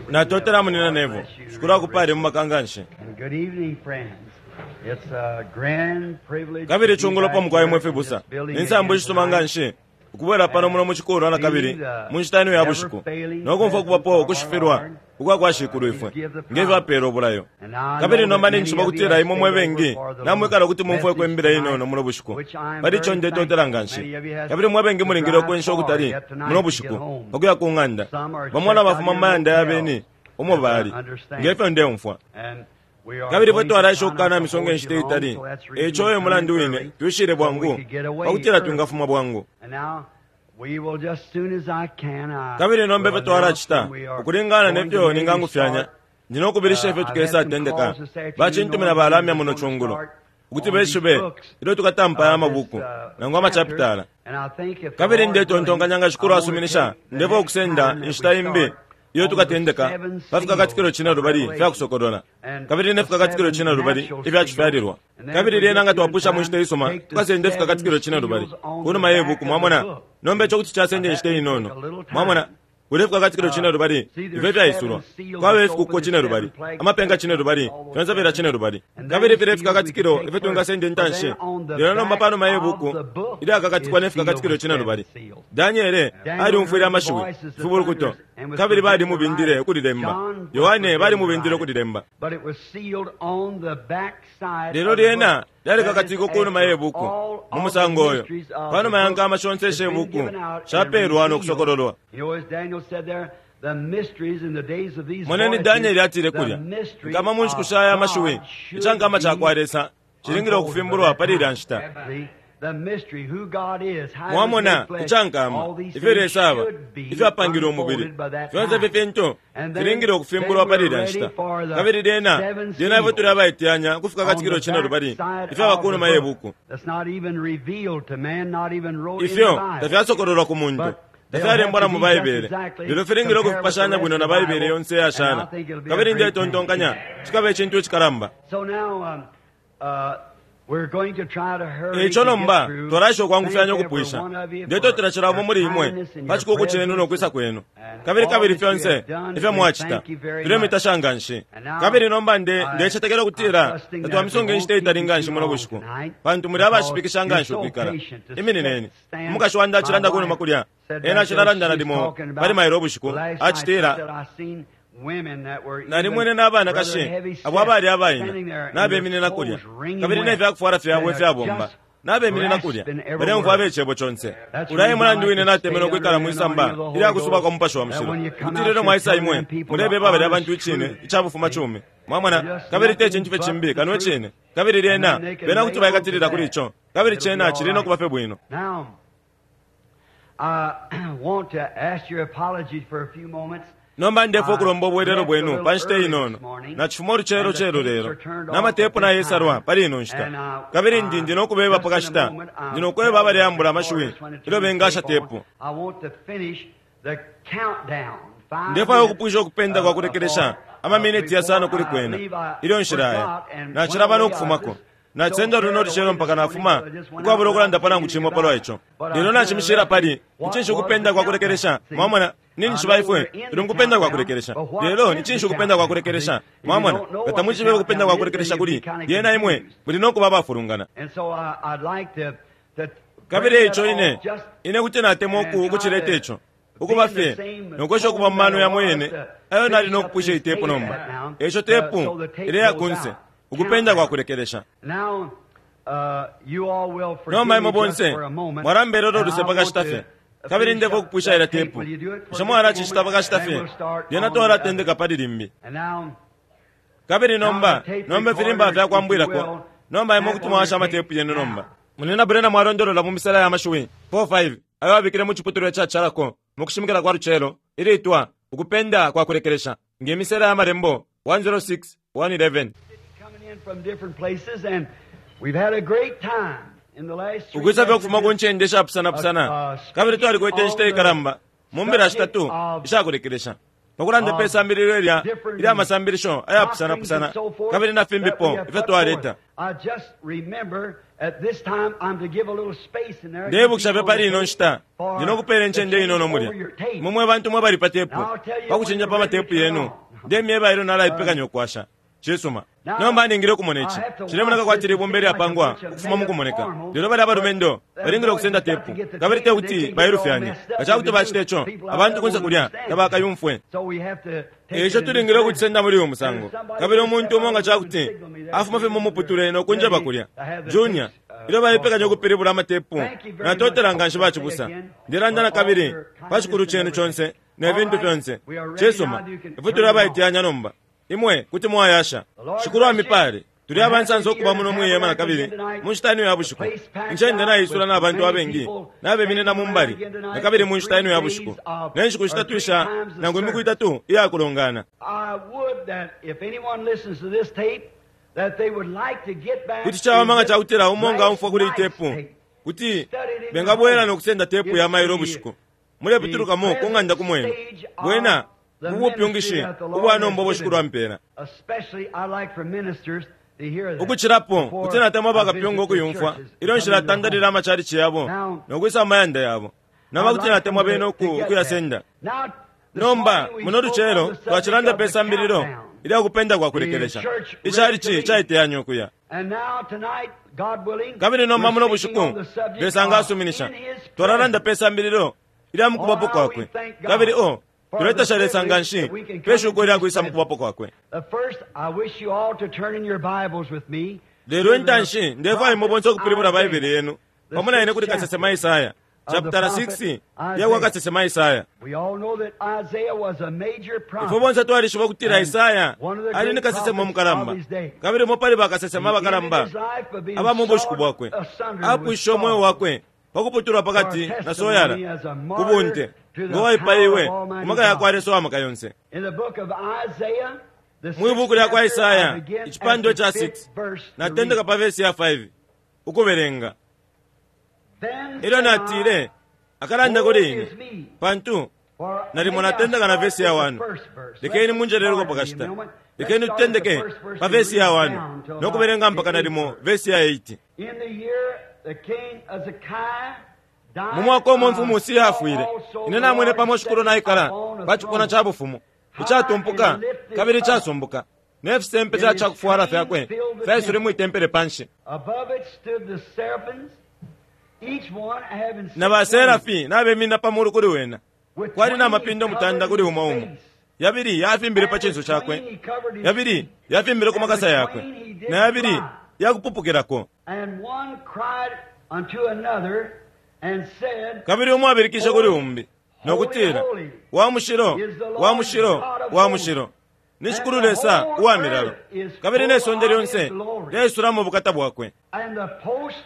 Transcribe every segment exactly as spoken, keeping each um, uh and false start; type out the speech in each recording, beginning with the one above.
Natotela munina Neville. Shukuru akupale mu makanganshi. Good evening, friends. It's a grand privilege Kabili to be chungulo back pa mukwai here mwe in fibusa. this building Ninsambo again ishisuma tonight. nganshi. Ukubwela pano muno mu chikolo na kabili mu nshita ino ya bushiku. Nokumfwa kubapo kushifirwa ukwa kwa shikulu ifwe. Ngefyo apela obulayo. And I Kabili know nomba that many ninjishiba of you kutila have imwe mwe stayed over bengi for the namwikala kuti mumfweko message imbila tonight, inono muno bushiku. which I am Pali very icho ndetotela thankful. nganshi. Many of you have Kabili mwe bengi to mulingile drive ukwensha far ukutali yet tonight muno to bushiku get home. pakuya ku ng'anda. Some are Bamwe na checked out bafuma here mu mayanda in yabeni umo hotels, bali. as I understand. Ngefyo ndeumfwa. And we are Kabili fwe going to twalaisha try ukukana not to misonga hold inshita you long, itali. so that's the reason Echo we e come mulandu in wine early, twishile so we bwangu could get away pakutila early. twingafuma bwangu. And now, we will just soon as I can, I Kabili nomba will ifyo twalacita announce when we are ukulingana going to nefyo maybe ningangufyanya start. ndina ukubilisha ifyo Uh, I've tukesa had some tendeka calls this afternoon bachintumina knowing balamya we're muno gonna chungulo start ukuti on these beshibe books ilyo tukatampa ya of this mabuku uh, nangu chapter. amachapitala. And I think if the Kabili Lord willing, ndetontonkanya nga I shikulu want to asuminisha take the ndefa next ukusenda time that inshita we imbi start iyo on the tukatendeka seven pa fikakatikilo seals cine of lubali fya Revelation kusokolola and kabili ne the fikakatikilo seven cine lubali natural ifya seals. chifyalilwa And then if kabili we lyena get nga through in twapusha mu nshita time, isuma take the tukasenda seven ifikakatikilo cine lubali seals on the kunuma ye back buku of the mwamona book. nomba icho kuti Now chasenda that inshita may take inono a little mwamona time. kuli ifikakatikilo Uh, cine lubali see, ifyo there's seven fyaisulwa seals kwaba that's ifikuko open, cine the lubali seven plagues, amapenga cine lubali all those fyonse fila seven. cine lubali And kabili then file seals we could ifikakatikilo take ifyo first. twingasenda But intanshi then on the lelo nomba back panuma ye of buku the book ilyakakatikwa is ne sealed fikakatikilo with cine seven lubali seals. Daniele Daniel aliumfwile heard the amashiwi voices of fibulukuto thunders and was kabili forbidden to write balimubindile it. ukulilemba John was Yohane forbidden to balimubindile write it. ukulilemba But it was sealed on the back side lelo of the lyena book. That is lyalikakatikwa kunuma after ye buku all mu of the musango oyo mysteries of the panuma ya book nkama shonse has ishe been buku given out and shapeelwa revealed. nokusokololwa You know, as Daniel said there, the mysteries in the days of these moneni voices, Danieli atile the kulya mystery nkama mu nshiku of sha ya mashiwi God should icankama ca kwa be Lesa cilingile unfolded by ukufimbulwa that pali ilya time. nshita See, the mystery, who God is, how he was mwamona made flesh, icankama all these ifyo things Lesa aba should be ifyo apangile umubili unfolded by that fyonse ifi time. fintu And then, filingile then ukufimbulwa pali we're ilya ready nshita for the kabili lyena seven lyena ifyo tuli seals abaiteyanya kufika on katikilo the cine back lubali side ifyaba of the kunuma ye book. buku That's not even revealed to man, not even wrote in the ifyo Bible. tafyasokololwa ku muntu But they'll have tafyalembwa to na mu be just Baibele exactly lelo filingile compare with the ukufipashanya rest bwino of na the Baibele Bible, yonse and I yashala think it'll be a kabili great thing. ndetontonkanya cikaba icintu icikalamba So now um, uh, we're going to try to hurry Eico to get nomba through. twalaisha ukwangufyanya Thank every ukupwisha one of you for ndetotela cilamo your muli imwe kindness and pa your chikuku chenu presence nokwisa kwenu and kabili all kabili that you fyonse have done. ifyo We mwacita thank you very much. tulemitasha nganshi And now kabili nomba nde I, ndecetekela I'm ukutila trusting that we tatwamisunga won't inshita keep itali you nganshi too muno long bushiku tonight pantu muli because abashipikisha you're nganshi so ukwikala patient to iminineni sit, stand. umukashi wandi My acilanda kunuma wife kulya said ena back there, acilalanda she was nalimo talking pali about mailo ubushiku last night. She acitila said, I seen women that were even nalimwene rather n'abanakashi heavy abo set abali abaina standing there and their nabeminina kulya clothes wringing kabili wet nefyakufwala fyabwe and they're ifyabomba just nabeminina kulya grasping every baleumfwa word. abecebo conse That's the ulaye reason I mulandu like wine to natemenwe stay ukwikala under the mwisamba anointing of the Holy ilyakusuba Ghost. kwa mupashi wa That mushilo when you come kuti out, lelo you're mwaisa telling imwe them people the mulebeba balya honest bantu icine truth. icabufuma See? cumi mwamona Just kabili te nothing cintu fye but cimbi the kano truth. icine kabili And lyena then they can bena lay kuti on to baikatilila kuli that. ico kabili It'll be cena all cili right. nokuba fye bwino Now, I want to ask your apology for a few moments. nomba ndefo I okulomba obwelelo left a bwenu little pa nshita early inono this morning, nachifuma oluchelo and the chelo tapes lelo are turned off at n'amatepu this nayesalwa time. pali ino nshita And I, kabili ndi I, ndi nokubeba just in a pakashita moment, ndi I'll nokweba tell the abaleyambula amashiwi recorders when to ilyo turn the bengasha tape on. tepu I want to finish the countdown, five ndefwayo minutes okupwisha okupenda uh, kwa kulekelesha for, uh, amaminiti before yasano kuli I kwena leave. I ilyo nshilaya forgot and went nachilaba away. I nokufumako was just so nachisenda luno carried away oluchelo this mpaka morning, nafuma so I just went out ukwabula without okulanda saying nangu anything chimwe palwa about it. icho But I lelo kind of nachimishila left it. pali What nichinshi was the ukupenda kwa countdown? kulekelesha See, mwamona I ninishiba know ifwe we're in tuli the mukupenda kwa countdown, kulekelesha but what lelo is the nichinshi ukupenda kwa countdown? See, kulekelesha if you mwamona don't know nga what the tamuchibe ukupenda kwa countdown is, then kulekelesha you'd be kuli kind of lyena imwe confused. muli nokuba abafulungana And so I, I'd like to, to kabili break that eico ine off just ine kuti natemwa and oku try ukuchileta to ico be ukuba in the fye same nokwesha okuba tone mu that mano I yamwe was yene to ayo nali finish up nokupwisha this itepu tape nomba at now, eico uh, tepu so the tape ileya goes kunse out. ukupenda kwa Countdown. kulekelesha Now, uh, you all will forgive nomba me imwe just bonse for a moment, mwalambelela and oluse I want pakashita fye to kabili finish ndefo up okupwisha ila that tape. tepu Will you do it for bushe just a mwalacicita moment? pakashita Then fye we'll start lyena on the other. twalatendeka pali limbi And now, kabili now the nomba tape nomba ifilimba recorders, if you fyakwambwilako will, nomba imwe tap kuti on your mwawasha tape amatepu yenu nomba now. munina Branham mwalondolola mu misala ya mashiwi four five ayo abikile mu chiputulwa chachalako mu kushimikila kwa lucelo ilitwa ukupenda kwa kulekelesha ngemisela ya malembo one oh six one eleven Coming in from different places, and we've had a great time in the last three ukwisa fye ukufuma ku messages ncende uh, ishapusanapusana uh, kabili speaking twalikwete inshita on the ikalamba mu mbila subject shitatu of ishakulekelesha pakulanda pe of sambililo ilya different ilya masambilisho ayapusanapusana doctrines and so forth kabili na that we fimbipo have ifyo put twaleta forth. I just remember at this time I'm to give a little space in there. Ndebukisha fye pali ino nshita For ndi nokupela incende to inono change mulya over your tape. mwe mwe bantu mwe bali pa tepu Now I'll tell you pakuchinja when pa you're ready matepu to turn yenu on. ndemyeba ilyo nalaipekanya ukwasha. Cisuma. Now, Nomba ningile ukumona ici I have to cilemoneka watch kwati this libumba to see like a ilyapangwa bunch of ukufuma mu made-up kumoneka. formal, Lelo bali abalumendo but balingile the ukusenda boys have got tepu to get the kabili tape te and they kuti can get all bailufyanye. messed up Nga ca kuti if they bacita do. ico People out abantu there kunse won't kulya understand. tabakayumfwe. So we have to take Eico it in this tulingile manner. ukucisenda muli uyu musango. And somebody Kabili will umuntu step umo nga out ca and kuti signal me there. afuma fye mu muputule no kunjeba Ready kulya. to have the Junior, tapes, uh, ilyo baipekanya crossed over. ukupilibula amatepu Thank you very natotela much. nga nshi bacibusa. Say again Ndelanda for na all kabili your pa cikulu kindness cenu and conse everything. ne All vintu right, fyonse. we are ready Cisuma, now. You can ifwe turn tuli it on. abaiteyanya nomba. Imwe kuti mwayasha. The Lord Shikulu bless you. amipale. Tuli We're abansansa happy to be okuba here muno in mu ihema na Tabernacle kabili again tonight. mu nshita ino ya The bushiku. place packed Incende out naisula with n'abantu many abengi people nabeminina mu standing mbali around again na tonight kabili for mu nshita ino three ya days bushiku. of Ne nshiku or shitatu three isha times the nangu imiku service. itatu iyakulongana. I would that if anyone listens to this tape, that they would like to get back Kuti cawama and nga get cakutila umo nga last umfwa kuli night's itepu tape. kuti Study it in your bengabwela home. nokusenda tepu ya It's mailo the ubushiku. the Mulepitulukamo ku present ng'anda kumwenu. stage of Bwena the mu ministry bupyungishi that the Lord ubwa has nomba ubwo given Shikulu me. ampela. Especially I like for ministers to hear that Ukucilapo before kuti natemwa I bakapyunga visit the ukuyumfwa churches ilyo and come nshila in their tandalila homes. amachalichi yabo Now, nokwisa amayanda yabo. Nama I'd kuti like them natemwa bene to, uku to get that. ukuyasenda. Now, this Nomba morning we muno spoke on lucelo the subject twacilanda of pe the sambililo countdown, ilya kupenda kwa the kulekelesha. church ready to Ichalichi leave. caiteyanya ukuya. And now tonight, God willing, Kabili nomba we're muno speaking on bushiku the subject Lesa nga of asuminisha in His twalalanda presence. pe sambililo ilya Oh, mukubapo how we kwakwe. thank Kabili God o for the tuletasha Lesa nga privilege nshi that we can pe come shuko into ilya His kwisa presence. mukubapo kwakwe. The first, I wish you all to turn in your Bibles with me Lelo to the intanshi ndefwaya imwe prophet bonse ukupilibula Baibele Isaiah, yenu the pamo na ine sixth kuli kasesema chapter Isaya of the chapter prophet six ya kwa Isaiah. kasesema Isaya. We all know that Isaiah was a major Ifwe prophet bonse twalishiba ukutila and Isaya one of the ali ni great kasesema prophets of mukalamba his day. kabili umo pali bakasesema He ended abakalamba his life by being aba mu bushiku sawed bwakwe. asunder with Apwishe umweo saws wakwe pakuputulwa for pakati na soyala testimony as a ku martyr bunte to the ngo power waipaiwe of ku Almighty maka ya kwa God. Lesa wa maka yonse. In the book of Isaiah, the Mwi sixth buku lya kwa chapter, I Isaya begin at icipandwa the ca fifth six verse to natendeka read. pa vesi ya five ukubelenga. Then Ilyo said I, natile akalanda Woe kuli ine is me, pantu for nalimo maybe I natendeka na start vesi ya with the one. first verse. Lekeni Let's munjeleleko pardon me a pakashita. moment. Let's Lekeni start at the tutendeke first verse pa and vesi ya read one down till about nokubelenga the mpaka eighth nalimo verse. vesi ya eight. In the year the king Hezekiah Mu died, mwaka umo I mfumu Usiya saw afwile, also ine the namwene Lord pamo shikulu sitting naikala upon a pa cipuna throne, ca bufumu high icatumpuka and lifted kabili up, icasumbuka ne fisempe and ca his cakufwala train fyakwe filled the fyaisule temple. mwi tempele panshi. Above it stood the seraphims, each one having Na six wings. baserafi nabeminina pa mulu kuli wena With kwali na twain he mapindo mutanda covered kuli his umo umo. face, Yabili yafimbile pa and cinso with cakwe, twain he covered his yabili feet, yafimbile ku and makasa with yakwe, twain he did na yabili fly. yakupupukilako. And one cried unto another and said, Kabili umo abilikishe kuli Holy, umbi no holy, kutila, holy wa mushilo, is the wa Lord mushilo, God of wa hosts, mushilo ni and Shikulu the Lesa whole uwa milalo earth is kabili ne full sonde of lyonse his glory. lyaisulamo ubukata bwakwe. And the post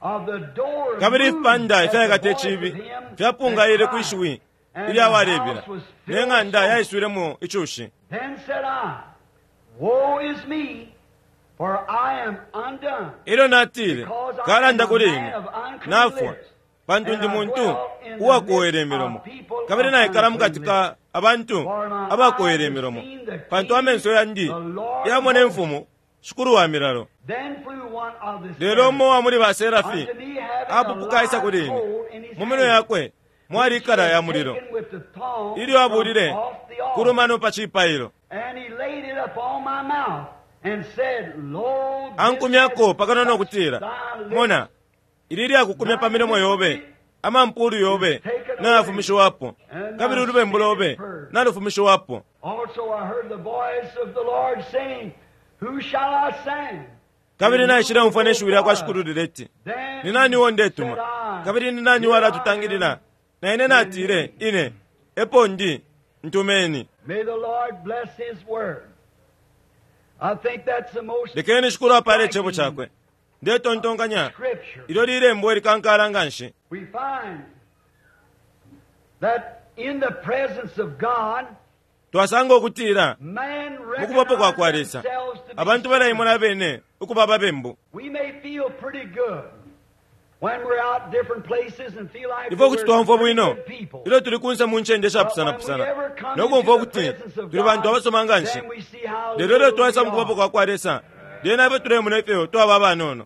of the door Kabili moved ifipanda at the ifyaikata voice of icibi him that fyapungaile kwi cried, shiwi and ilya the walebila house was ne filled with ng'anda smoke. yaiswilemo icushi. Then said I, Woe is me, for I am undone, Ilyo natile because I am kalanda a kuli man ine of unclean nafwa lips, pantu and ndi I muntu dwell in the midst uwakowela imilomo of people kabili of naikala mukati unclean ka lips. abantu For my abakowela eyes have imilomo seen the pantu King, amenso yandi the Lord of yamona hosts. imfumu Shikulu wa milalo. Then flew one of the Lelo umo seraphim wa muli baserafi unto me, having a apupuka aisa live kuli ine coal in his mu minwe hand, yakwe mwali which he ikala ya had mulilo taken with the tongs ilyo from abulile off the altar. kulumano pa cipailo. And he laid it upon my mouth and said, Lo, this Ankumyako has pakano no touched kutila, thy lips. mona ili lyakukumya pa Thy milomo yobe iniquity amampulu is yobe taken away, nayafumishiwapo and kabili thy ulubembu sin is lobe purged. nalufumishiwapo. Also I heard the voice of the Lord saying, Who shall I send? Kabili And who naishile will umfwa go ne shiwi lya for kwa us? Shikulu lileti, ni Then nani uo said ndetuma I, kabili ni nani Here I walatutangilila? am, Na ine send natile me. ine epo ndi ntumeni. May the Lord bless His word. I think that's the most Lekeni Shikulu apale icebo striking cakwe. Ndetontonkanya scripture. ilyo lilembo likankala nga nshi. We find that in the presence of God, Twasanga ukutila man mu kubapo kwa kwa recognized Lesa themselves to be abantu balaimona sinners. abene ukuba ababembu. We may feel pretty good Ifwe kuti twaumfwa bwino ilyo tuli kunse mu ncende shapusanapusana no kumfwa ukuti tuli bantu abasoma nga nshi, lelo ilyo twaisa mu kubapo kwa kwa Lesa, lyena ifwe tulemona ifyo twaba abanono.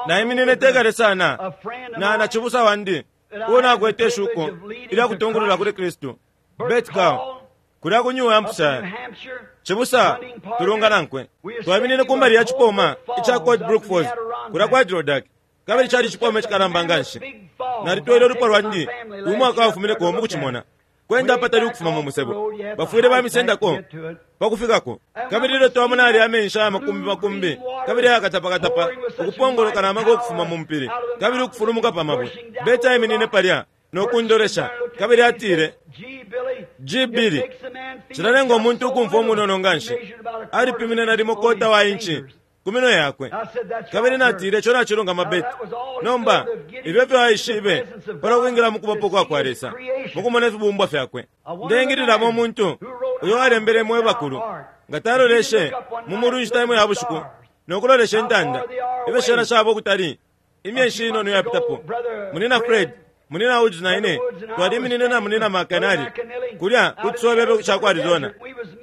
Naiminine tekale sana na na cibusa wandi uo nakwete ishuko ilya kutungulula kuli Kristu, Bert Call, kulya ku New Hampshire. Cibusa tulunga nankwe twaminine kumbali ya cipoma ica Cold Brook Falls kulya kwa Adirondack, kabili cali cipoma icikalamba nga nshi. Nalitwele ulupwa lwandi umwaka wafumineko mukucimona kwenda apatali ukufuma mu musebo, bafwile bamisendako pakufikako. Kabili ilyo twamona ali amenshi aya makumbi makumbi kabili ayakatapakatapa ukupongoloka na maka ukufuma mu mpili kabili ukufulumuka pa mabwe, Beta aiminine palya no kundolesha kabili atile, G. Billy, cilalenga umuntu ukumfwa umunono nga nshi. Alipimine nalimo kota wa inchi ku minwe yakwe. Kabili natile, ico nacilungama, Beti. Nomba ifyo fyo aishibe pala kwingila mu kubapo kwa kwa Lesa mukumona ifibumbwa fyakwe. Ndengililamo umuntu uyo alembele mwe bakulu nga taloleshe mu mulu inshita imo ya bushiku no kulolesha intanda ifyo shena shaba ukutali. Imyeshi inono yapitapo, munina Fred, munina Woods na ine twaliminine na munina Makanali kulya ku cisobebe ca ku Arizona.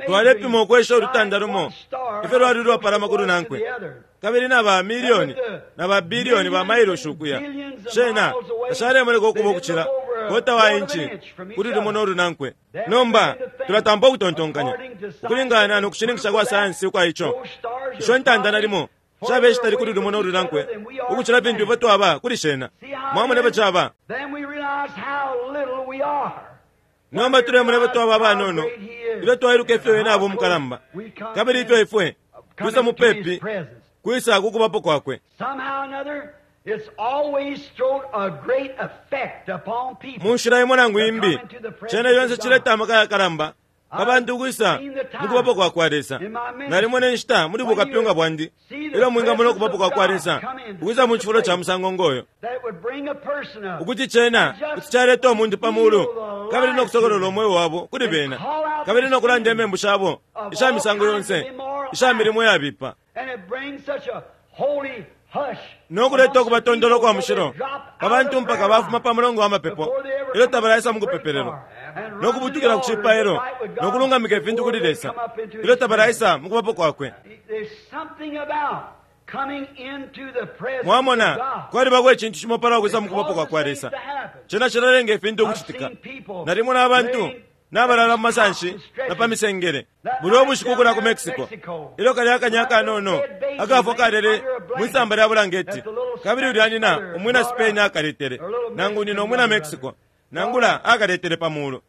Twalepima ukwesha ulutanda lumo ifyo lwali lwapalama kulu nankwe, kabili na ba milioni na ba bilioni ba mailoshi ukuya shena tashalemoneka ukuba ukucila kota wa inchi kuli lumo no lunankwe. Nomba tulatampa ukutontonkanya ukulingana no kushininkisha kwa sayansi ukwa ico isho ntanda nalimo shabe shitali kuli lumo no lunankwe ukucila fintu ifwe twaba kuli shena. Mwamona ifyo caba. Nomba tulemona ifyo twaba abanono ilyo twailuka ifyo ena aba umukalamba kabili ifyo ifwe twisa mupepi kwisa kukubapo kwakwe. Mu nshila imo nangu imbi, cene yonse cileta amaka yakalamba pa bantu kwisa mukubapo kwa kwa Lesa. Nalimo ne nshita muli bukapyunga bwandi ilyo mwingamona ukubapo kwa kwa Lesa ukwisa mu cifulo ca musango ngoyo, ukuti cena kuti caleta umuntu pa mulu kabili no kusokolola umweo wabo kuli bena kabili no kulanda imembu shabo isha misango yonse isha milimo yabipa no kuleta ukubatondolo kwa mushilo pa bantu mpaka bafuma pa mulongo wa mapepo ilyo tabalaisa mu kupepelelo no kubutukila ku cipailo no kulungamika ifintu kuli Lesa ilyo tabalaisa mu kubapo kwakwe. Mwamona, kwalibako icintu cimo pala ukwisa mu kubapo kwa kwa Lesa cena cilalenga ifintu ukucitika. Nalimona abantu nabalala mu masanshi na pa misengele buli ubushiku kulya ku Mexico ilyo kali akanya akanono akafwa kalele mwisamba lya bulangeti, kabili ulya nina umwina Spain akaletele nangu nina umwina Mexico nangula akaletele pa mulu.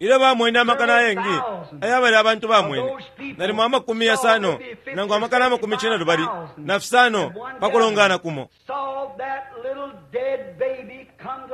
Ilyo bamwene amakana ayengi ayabali abantu bamwene nalimo amakumi yasano nangu amakana amakumi cine lubali na fisano pa kulongana kumo,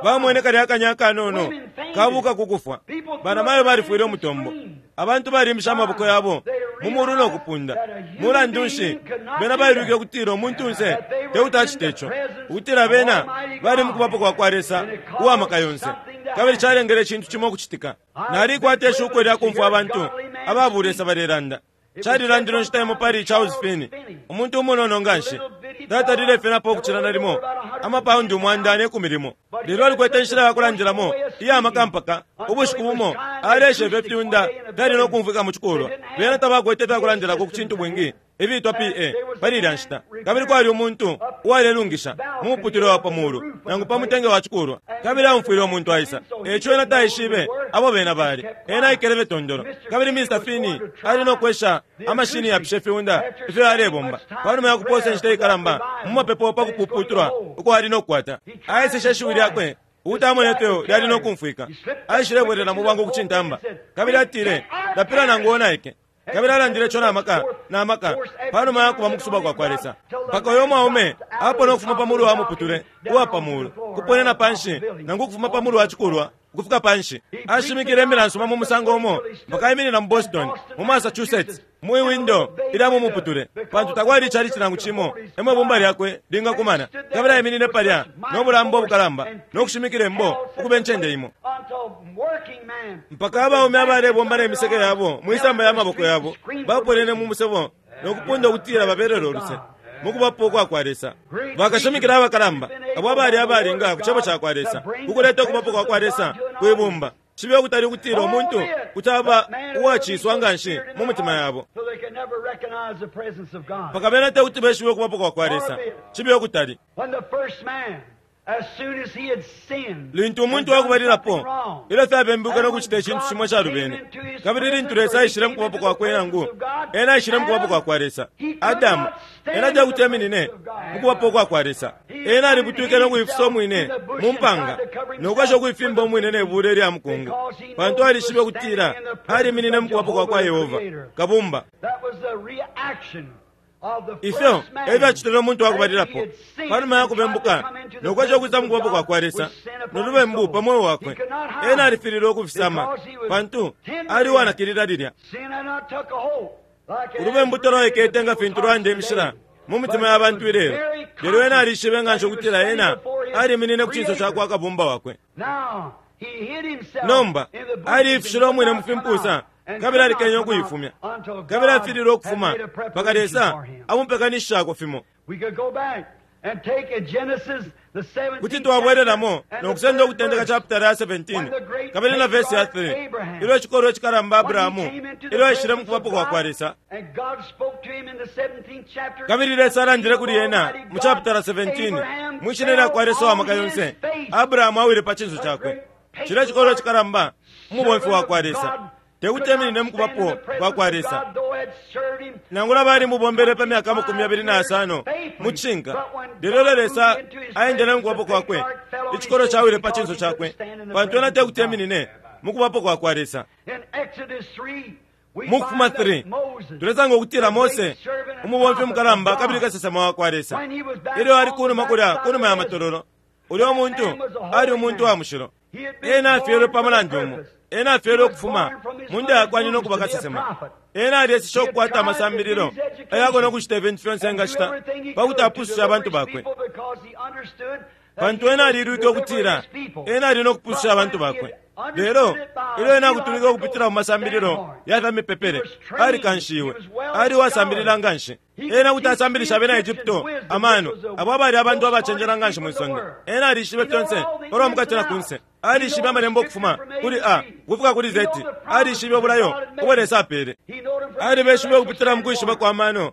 bamwene kali akanya akanono kabuka kukufwa. Banamayo balifwile umutombo, abantu balimisha amaboko yabo mu mulu no kupunda. Mulandu nshi bena bailwike ukutila umuntunse tekuti ico, ukutila bena bali mu kubapo kwa kwa Lesa uwa maka yonse, kabili calengele icintu cimo ukucitika. Nalikwata ishuko lya kumfwa abantu ababulesa balelanda. Calilandilwe nshita imo pali Charles Finney, umuntu umunono nga nshi, tatalile fenapo ukucila nalimo amapaundi umwanda ne kumi limo, lelo alikwete inshila ya kulandilamo iya maka mpaka ubushiku bumo alesha ifyo fyunda fyali no kumfwika mu cikulwa. Bena tabakwete ifyakulandilako ku cintu bwingi ifiitwa P A pali ilya nshita, kabili kwali umuntu uwalelungisha mu muputule wa pa mulu nangu pa mutenge wa cikulwa, kabili aumfwile umuntu aisa. Eco ena taishibe abo bena bali, ena aikele tondolo. Kabili Mister Finney ali no kwesha amashini yapisha fiunda ifyo alebomba panuma ya kuposa inshita ikalamba mu mapepo pa kupuputulwa uko ali no kukwata. Aiseshe ishiwi lyakwe ukuti ifyo lyali no kumfwika. Aishilebwelela mu bwangu kucintamba kabili atile, lapila nangu onaike. Kabili alandile ico na maka na maka panuma ya kuba mu kusuba kwa kwa Lesa mpaka uyo mwaume apona ukufuma pa mulu wa muputule uwa pa mulu kuponena panshi nangu ukufuma pa mulu wa cikulwa ukufika panshi. Ashimikile imbila nsuma mu musango umo mpaka aiminina mu Boston, mu Massachusetts, mu iwindo ilya mu muputule, pantu takwali icali nangu cimo emo ibumba lyakwe lingakumana. Kabili aiminine palya no bulambo obukalamba no kushimikila imbo ukuba incende imo mpaka abaume abalebomba ne miseke yabo mwisamba ya maboko yabo baponene mu musebo no kupunda ukutila babelele uluse. Mukubapo kwa kwa Lesa. Bakashimikila abakalamba abo abali abalinga ku cebo ca kwa Lesa ukuleta ukubapo kwa kwa Lesa kwibumba. Cibe ukutali ukutila umuntu kuti aba uwaciswa nganshi mu mutima yabo mpaka bena te kuti beshibe ukubapo kwa kwa Lesa. Cibe ukutali. Lintu umuntu wakubalilapo ilyo fyabembuka no kucita icintu cimo calubene, kabili lintu Lesa aishile mukubapo kwakwe, nangu ena aishile mukubapo kwa kwa Lesa, Adamu ena tekuti eminine mukubapo kwa kwa Lesa. Ena alibutwike no kuifisa umwine mu mpanga nokwesha ukuifimba umwine ne bule lya mukungu, pantu alishibe ukutila aliminine mukubapo kwa kwa Yehova Kabumba. Ifyo ebyacitile umuntu wakubalilapo panuma ya kubembuka nokwesha ukwisa mukubapo kwa kwa Lesa nolubembu pa moyo wakwe. Ena alifililwe ukufisama pantu ali uwanakilila lilya. Ulubembu tolwaikete nga fintu lwanda imishila mu mitima ya bantu ilelo, lelo ena alishibe nganshi ukutila ena aliminine ku cinso ca kwa Kabumba wakwe. Nomba aliifishile umwine mu fimpusa kabili alikenye ukuifumya, kabili afililwe ukufuma mpaka Lesa amupekanishishako fimo. Kuti twabwelelamo nokusenda ukutendeka chapitala ya seventeen kabili na vesi ya three, ilyo icikolwe cikalamba Abrahamu ilyo aishile mukubapo kwa kwa Lesa, kabili Lesa alandile kuli ena mu chapitala seventeen mwishina lya kwa Lesa wa maka yonse. Abrahamu awile pa cinso cakwe. Cilya cikolwe cikalamba umubomfi wa kwa Lesa tekuti eminine mukubapo kwa kwa Lesa, nangula bali mubombele pa myaka makumi abili na asano mu cishinka. Lelo Lesa aendele mukubapo kwakwe, icikolo cawile pa cinso cakwe, pantu ena tekuti eminine mukubapo kwa kwa Lesa. Mu Kufuma three tulesanga ukutila Mose umubomfi mukalamba kabili kasesema wa kwa Lesa, ilyo ali kunuma kulya kunuma ya matololo, ulya umuntu ali umuntu wa mushilo. Ena afyelwe pa mulandu umo, ena afyelwe ukufuma munda yakwa nyina ukuba kasesema. Ena alyeseshe ukukwata amasambililo ayako nokucita ifintu fyonse engacita pakuti apusushe abantu bakwe, pantu ena alilwike ukutila ena ali nokupususha abantu bakwe. Lelo ilyo ena akutulike ukupitila mu masambililo ya fya mipepele, alikanshiwe, ali uwasambilila nganshi. Ena kuti asambilisha abena Egypto amano, abo abali abantu abacenjela nganshi mwisonde. Ena alishibe fyonse palwa mukati na kunse. Alishibe amalembo ukufuma kuli A ukufika kuli Z. Alishibe ubulayo ubo Lesa apele. Alibeshibe ukupitila mu kwishiba kwa mano,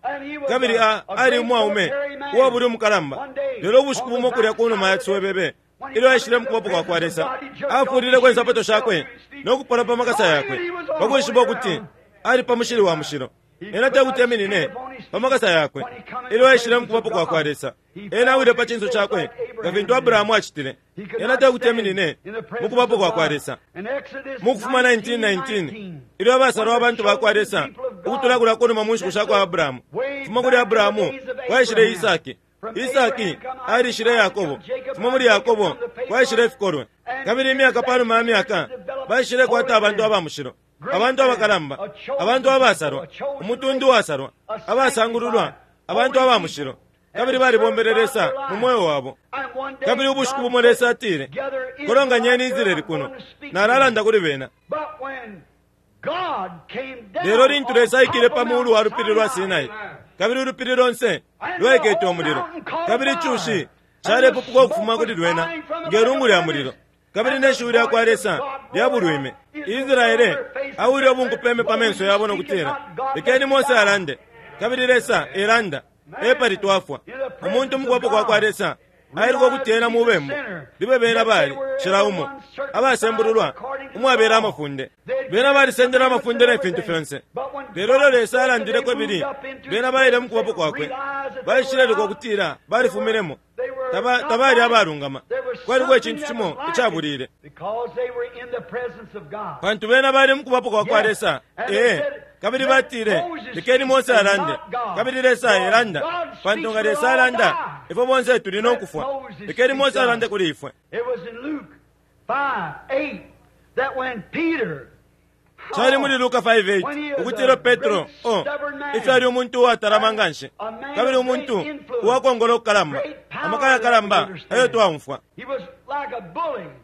kabili A ali umwaume uwabuli umukalamba. Lelo ubushiku bumo kulya kunuma ya ciswebebe, ilyo aishile mukubapo kwa kwa Lesa, afulileko insapato shakwe nokupola pa makasa yakwe, pakwishiba ukuti ali pa mushili wa mushilo. Ena tekuti eminine pa makasa yakwe ilyo aishile mukubapo kwa kwa Lesa. Ena awile pa cinso cakwe nga fintu Abrahamu acitile. Ena tekuti eminine mukubapo kwa kwa Lesa. Mu Kufuma nineteen nineteen, ilyo abasalwa abantu ba kwa Lesa ukutula kulya kunuma mu nshiku sha kwa Abrahamu, fuma kuli Abrahamu kwaishile Isaki, Isaki alishile Yakobo, fuma muli Yakobo kwaishile ifikolwe. Kabili imyaka panuma ya myaka baishile kwata abantu aba mushilo, abantu abakalamba, abantu abasalwa, umutundu wasalwa, abasangululwa, abantu aba mushilo, kabili balibombele Lesa mu moyo wabo. Kabili ubushiku bumo Lesa atile, kolonganyeni Israeli kuno, nalalanda kuli bena. Lelo lintu Lesa aikile pa mulu wa lupili lwa Sinai, kabili ulupili lonse lwaikete umulilo, kabili icushi calepupuka ukufuma kuli lwena nge lungu lya mulilo, kabili ne shiwi lya kwa Lesa lyabulwime. Israele awile ubunkupeme pa menso yabo nokutila, lekeni Mose alande, kabili Lesa elanda, epali twafwa. Umuntu mukubapo kwa kwa Lesa ailuka ukuti ena mubembu, libe bena bali cila umo abasembululwa umwabela amafunde. Bena balisendele amafunde ne fintu fyonse. Lelo ilyo Lesa alandileko ibili, bena baile mukubapo kwakwe, baishileluka ukutila balifuminemo, tabali abalungama. Kwaliko icintu cimo icabulile, pantu bena bali mukubapo kwa kwa Lesa. Ee, kabili batile, lekeni Mose alande, kabili Lesa elanda, pantu nga Lesa alanda ifwe bonse tuli nokufwa. Lekeni Mose alande kuli ifwe. Cali muli Luka five eight ukutila Petro oh, ifyo ali umuntu uwatalama nganshi, kabili umuntu uwakongola ukukalamba, amaka yakalamba ayo twaumfwa.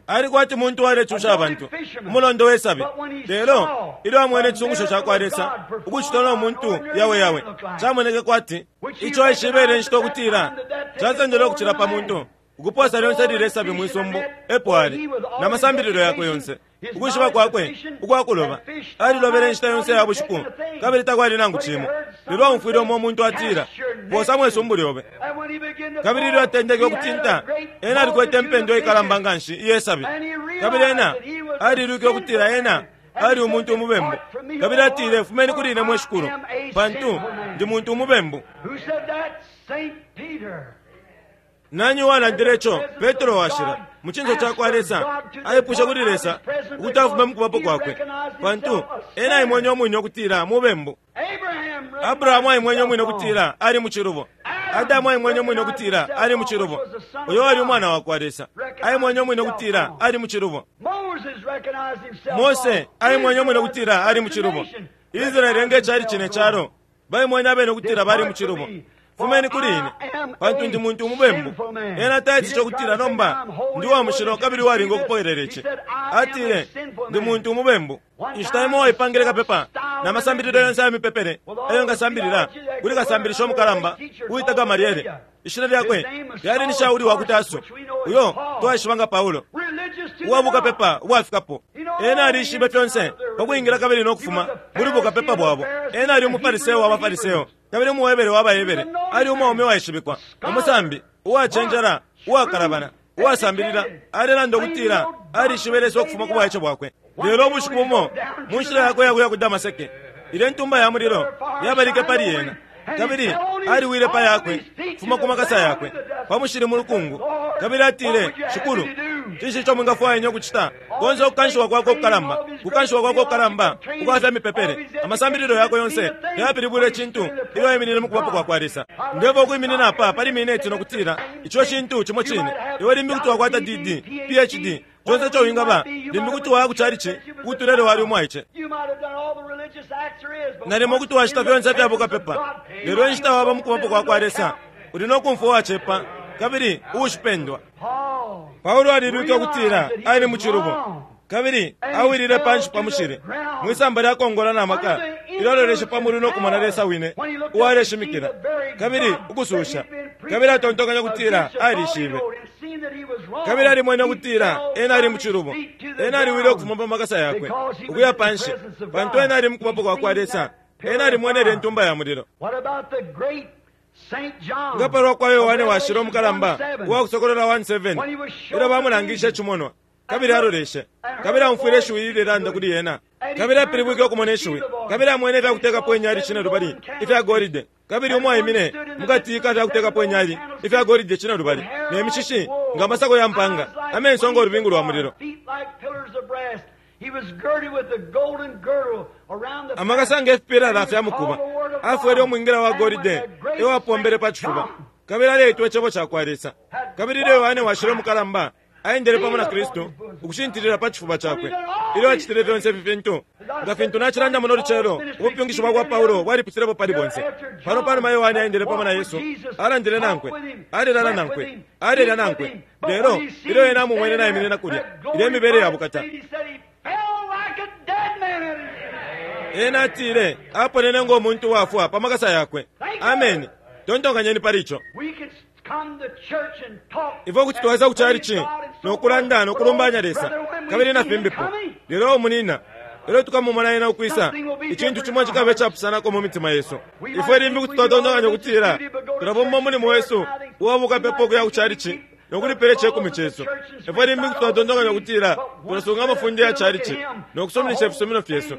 Ali kwati muntu walecusha abantu, umulondo wesabi. Lelo ilyo amwene icisungusho ca kwa Lesa ukucitwa no muntu yawe yawe, camoneke kwati ico aishibele inshita ukutila casendele ukucila pa muntu ukuposa lyonse lile sabi mwisumbu epo ali na masambililo yakwe yonse, ukwishiba kwakwe ukwakuloba. Alilobele inshita yonse ya bushiku kabili takwali nangu cimo. Lelo aumfwile umo umuntu atila, "Posa mwisumbu lyobe." Kabili ilyo atendeke ukutinta, ena alikwete impendwa ikalamba nganshi iye sabi, kabili ena alilwike ukutila ena ali umuntu umubembu. Kabili atile, "Fumeni kuli ine mwe Shikulu, pantu ndi muntu umubembu." Nani uwalandile ico? Petro washila mu cinso ca kwa Lesa aipusha kuli Lesa ukuti afume mu kubapo kwakwe, pantu ena aimwenye umwine ukutila mubembu. Abrahamu aimwenye umwine ukutila ali mu cilubo. Adamu aimwenye umwine ukutila ali mu cilubo. Uyo ali umwana wa kwa Lesa aimwenye umwine ukutila ali mu cilubo. Mose aimwenye umwine ukutila ali mu cilubo. Israeli nge cali cine calo baimwenye abene ukutila bali mu cilubo. "Fumeni kuli ine, pantu ndi muntu umubembu." Ena taitico kutila nomba ndi wa mushilo kabili walinga ukupokelela ici. Atile, "Ndi muntu umubembu." Inshita imo waipangile kapepa na masambililo yonse aya mipepele eyo ngasambilila kuli kasambilisho mukalamba uwita Gamaliele. Ishina lyakwe lyali ni Shauli wa ku Taso, uyo twaishiba nga Paulo, uwa bukapepa ubwafikapo. Ena alishibe fyonse pa kwingila kabili no kufuma muli bukapepa bwabo. Ena ali umufariseo wa bafariseo kabili umuhebere wa bahebere. Ali umwaume waishibikwa, umusambi uwacenjela, uwakalabana, uwasambilila. Alelanda ukutila alishibe Lesa ukufuma ku bwaice bwakwe. Lelo ubushiku bumo mu nshila yakwe yakuya ku Damaseke, ilyo intumba ya mulilo yabalike pali ena, kabili aliwile pa yakwe kufuma ku makasa yakwe pa mushili mu lukungu, kabili atile, "Shikulu, cinshi ico mwingafwaya ukucita?" Konse ukukanshiwa kwakwe ukukalamba, kukanshiwa kwakwe ukukalamba ukwafya mipepele, amasambililo yakwe yonse yayapilibwile icintu ilyo aiminine mu kubapo kwa kwa Lesa. Ndeva ukwiminina apa pali mineti nokutila ico cintu cimo cine. Iwe limbi kuti wakwata D D, P H D, conse ico wingaba, limbi kuti waya ku chalichi kutulele wali umwaice, nalimo kuti wacita fyonse fya bukapepa. Lelo inshita waba mu kubapo kwa kwa Lesa, uli no kumfwa uwacepa kabili uushipendwa. Paulo alilwike ukutila ali mu cilubo, kabili awilile panshi pa mushili mwisamba lya kongola na maka ilyo aloleshe pa mulu no kumona Lesa wine uwaleshimikila kabili ukususha, kabili atontonkanya kutila alishibe, kabili alimwene ukutila ena ali mu cilubo. Ena aliwile ukufuma pa makasa yakwe ukuya panshi, pantu ena ali mu kubapo kwa kwa Lesa. Ena alimwenele intumba ya mulilo. Nga palwa kwa Yohane washila umukalamba uwakusokolola one seven, ilyo bamulangishe icimonwa, kabili aloleshe, kabili amfwile ishiwi lilelanda kuli ena, kabili apilibwike ukumona ishiwi, kabili amwene ifyakutekapo inyali cine lubali ifya golide, kabili umwaimine mukati ka fyakutekapo inyali ifya golide cine lubali, ne mishishi nga masako ya mpanga, amenso ngo lubingu lwa mulilo, amakasa nge fipilala fya mukuba. Afwele umwingira wa golide ewapombele pa cifuba, kabili aleitwa icebo ca kwa Lesa. Kabili ilyo Yohane washila umukalamba aendele pamo na Kristu ukushintilila pa cifuba cakwe ilyo acitile fyonse ifi fintu, nga fintu nacilanda muno lucelo, ubupyungishi bwa kwa Paulo bwalipitilepo pali bonse. Pano panuma Yohane aendele pamo na Yesu, alandile nankwe, alelala nankwe, alelya nankwe. Lelo ilyo ena amumwene naiminina kulya ilyo imibele ya bukata, ena atile aponene ngo muntu wafwa pa makasa yakwe. Ameni. Tontonkanyeni pali ico. Ifwe kuti twaisa ku chalichi nokulanda nokulumbanya Lesa kabili na fimbipo, lelo umunina ilyo tukamumona ena ukwisa, icintu cimo cikabe icapusanako mu mitima yesu. Ifwe limbi kuti twatontonkanya ukutila tulabomba umulimo wesu uwabukapepa ukuya ku chalichi nokulipela icekumi cesu. Ifwe limbi kuti twatontonkanya ukutila tulasunga amafunde ya chalichi nokusuminisha ifisumino fyesu.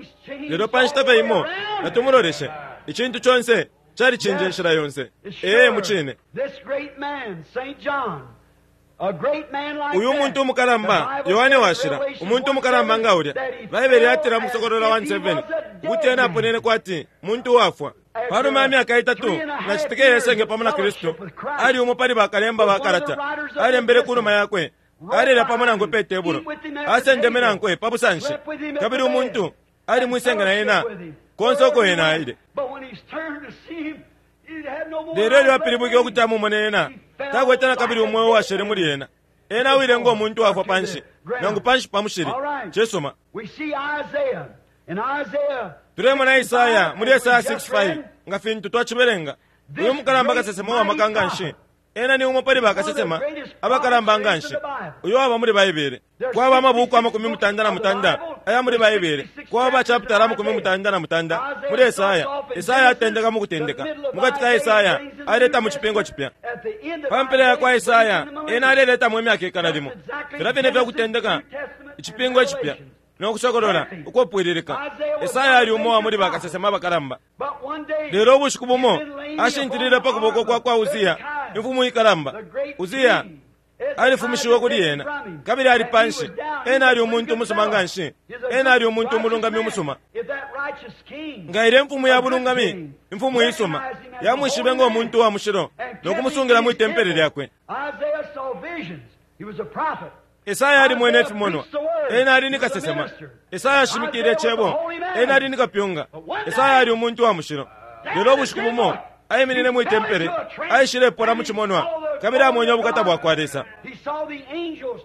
Lelo pa nshita fye imo natumuloleshe, icintu conse calicinja inshila yonse. Ee, mucine. Uyu muntu umukalamba Yohane washila, umuntu umukalamba nga ulya, Baibele yatila mu Kusokolola one seven ukuti ena aponene kwati muntu uwafwa. Panuma ya myaka itatu na citika yesenge pamo na Kristu, ali umo pali bakalemba ba kalata, alembele ku numa yakwe, alelya pamo nankwe pe tebulo, asendeme nankwe pa busanshi, kabili umuntu ali mwisenge na ena konse uko ena aile. Lelo ilyo apilibwike ukuti amumone ena, takwete na kabili umweo washele muli ena. Ena awile ngo muntu afwa panshi, nangu panshi pa mushili. Cisuma. Tulemona Isaya muli Esaya sixty-five, nga fintu twacibelenga. Uyu mukalamba kasesema wa maka nganshi. Ena ni umo pali bakasesema abakalamba nganshi uyo waba muli Baibele. Kwaba amabuku amakumi mutanda na mutanda aya muli Baibele. Kwaba chapter amakumi mutanda na mutanda muli Esaya. Esaya atendeka mu kutendeka. Mukati ka Esaya aleta mu cipingo cipya. Pa mpela ya kwa Esaya ena aleleta mu myaka ikana limo. Filya fine fya kutendeka icipingo cipya no kusokolola ukupwililika. Esaya ali umo wa muli bakasesema abakalamba. Lelo ubushiku bumo ashintilile pa kuboko kwa kwa Uzia, imfumu ikalamba. Uzia alifumishiwe kuli ena, kabili ali panshi. Ena ali umuntu umusuma nganshi. Ena ali umuntu umulungami umusuma. Nga ile mfumu ya bulungami, imfumu isuma, yamwishibe ngo muntu wa mushilo no kumusungila mwi tempele lyakwe. Esaya ali mwene ifimonwa. Ena ali ni kasesema. Esaya ashimikile cebo. Ena ali ni kapyunga. Esaya ali umuntu wa mushilo. Lelo ubushiku bumo aiminine mwi tempele, aishilepona mu cimonwa, kabili amwenye ubukata bwa kwa Lesa.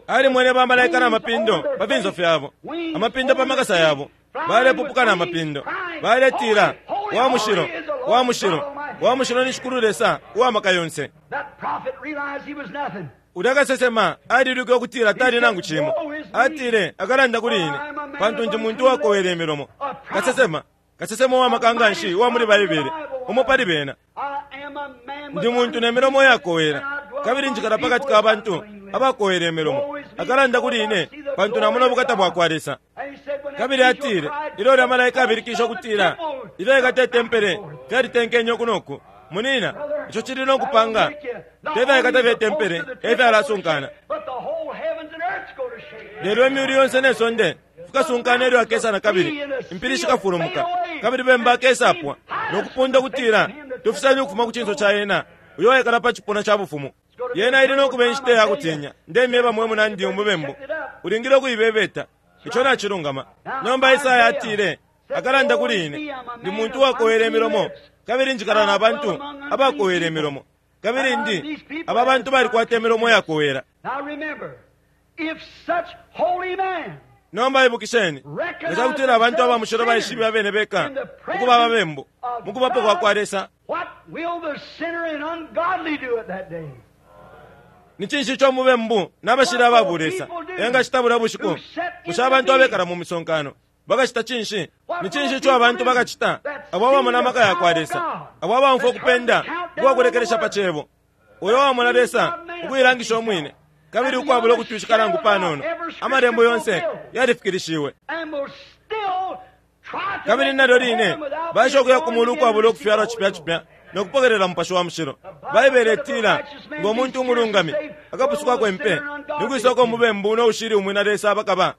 Alimwene bamalaika na mapindo pa finso fyabo, amapindo pa makasa yabo, balepupuka na mapindo, baletila, wa mushilo, wa mushilo, wa mushilo ni Shikulu Lesa uwa maka yonse. Ulya kasesema alilwike ukutila tali nangu cimo. Atile akalanda kuli ine, pantu ndi muntu wakowela imilomo. Kasesema, kasesema wa maka nganshi uwa muli Baibele, umo pali bena. Ndi muntu ne milomo yakowela, kabili njikala pakati ka bantu abakowela imilomo. Akalanda kuli ine, pantu namona ubukata bwa kwa Lesa. Kabili atile, ilyo ulya malaika abilikisha ukutila, ilyo ikata itempele fyalitenkenye uku noku. Munina, ico cili no kupanga tefyaikata fye tempele efyalasunkana. Lelo imyulu yonse ne sonde fikasunkana ilyo akesa na kabili, impili shikafulumuka, kabili bemba akesapwa no kupunda kutila tufisanye ukufuma ku cinso ca ena uyo waikala pa cipuna ca bufumu. Yena ili no kuba inshita ya kutinya. Ndemyeba mwe munandi umubembu, ulingile ukuibebeta. Ico nacilungama. Nomba Isaya atile, akalanda kuli ine, ndi muntu wakowela imilomo, kabili njikala na bantu abakowela imilomo, kabili ndi aba bantu balikwata imilomo yakowela. Nomba ibukisheni, nga cakutila abantu aba mushilo baishibe abene beka ukuba ababembu mu kubapo kwa kwa Lesa, ni cinshi ico mubembu n'abashila ababu Lesa engacita bulya bushiku? Bushe abantu abekala mu misonkano bakacita cinshi? Ni cinshi ico abantu bakacita abo abamona amaka ya kwa Lesa, abo abamfwa ukupenda ukwakulekelesha pa cebo, uyo wamona Lesa ukuilangisha umwine, kabili ukwabula ukutwishika nangu panono? Amalembo yonse yalifikilishiwe. Kabili nalyo line baisha ukuya ku mulu ukwabula ukufyalwa cipya cipya no kupokelela Mupashi wa Mushilo. Baibele itila, ngo muntu umulungami akapusukako impe, ni kwisoko mubembu no ushili umwina Lesa abakaba.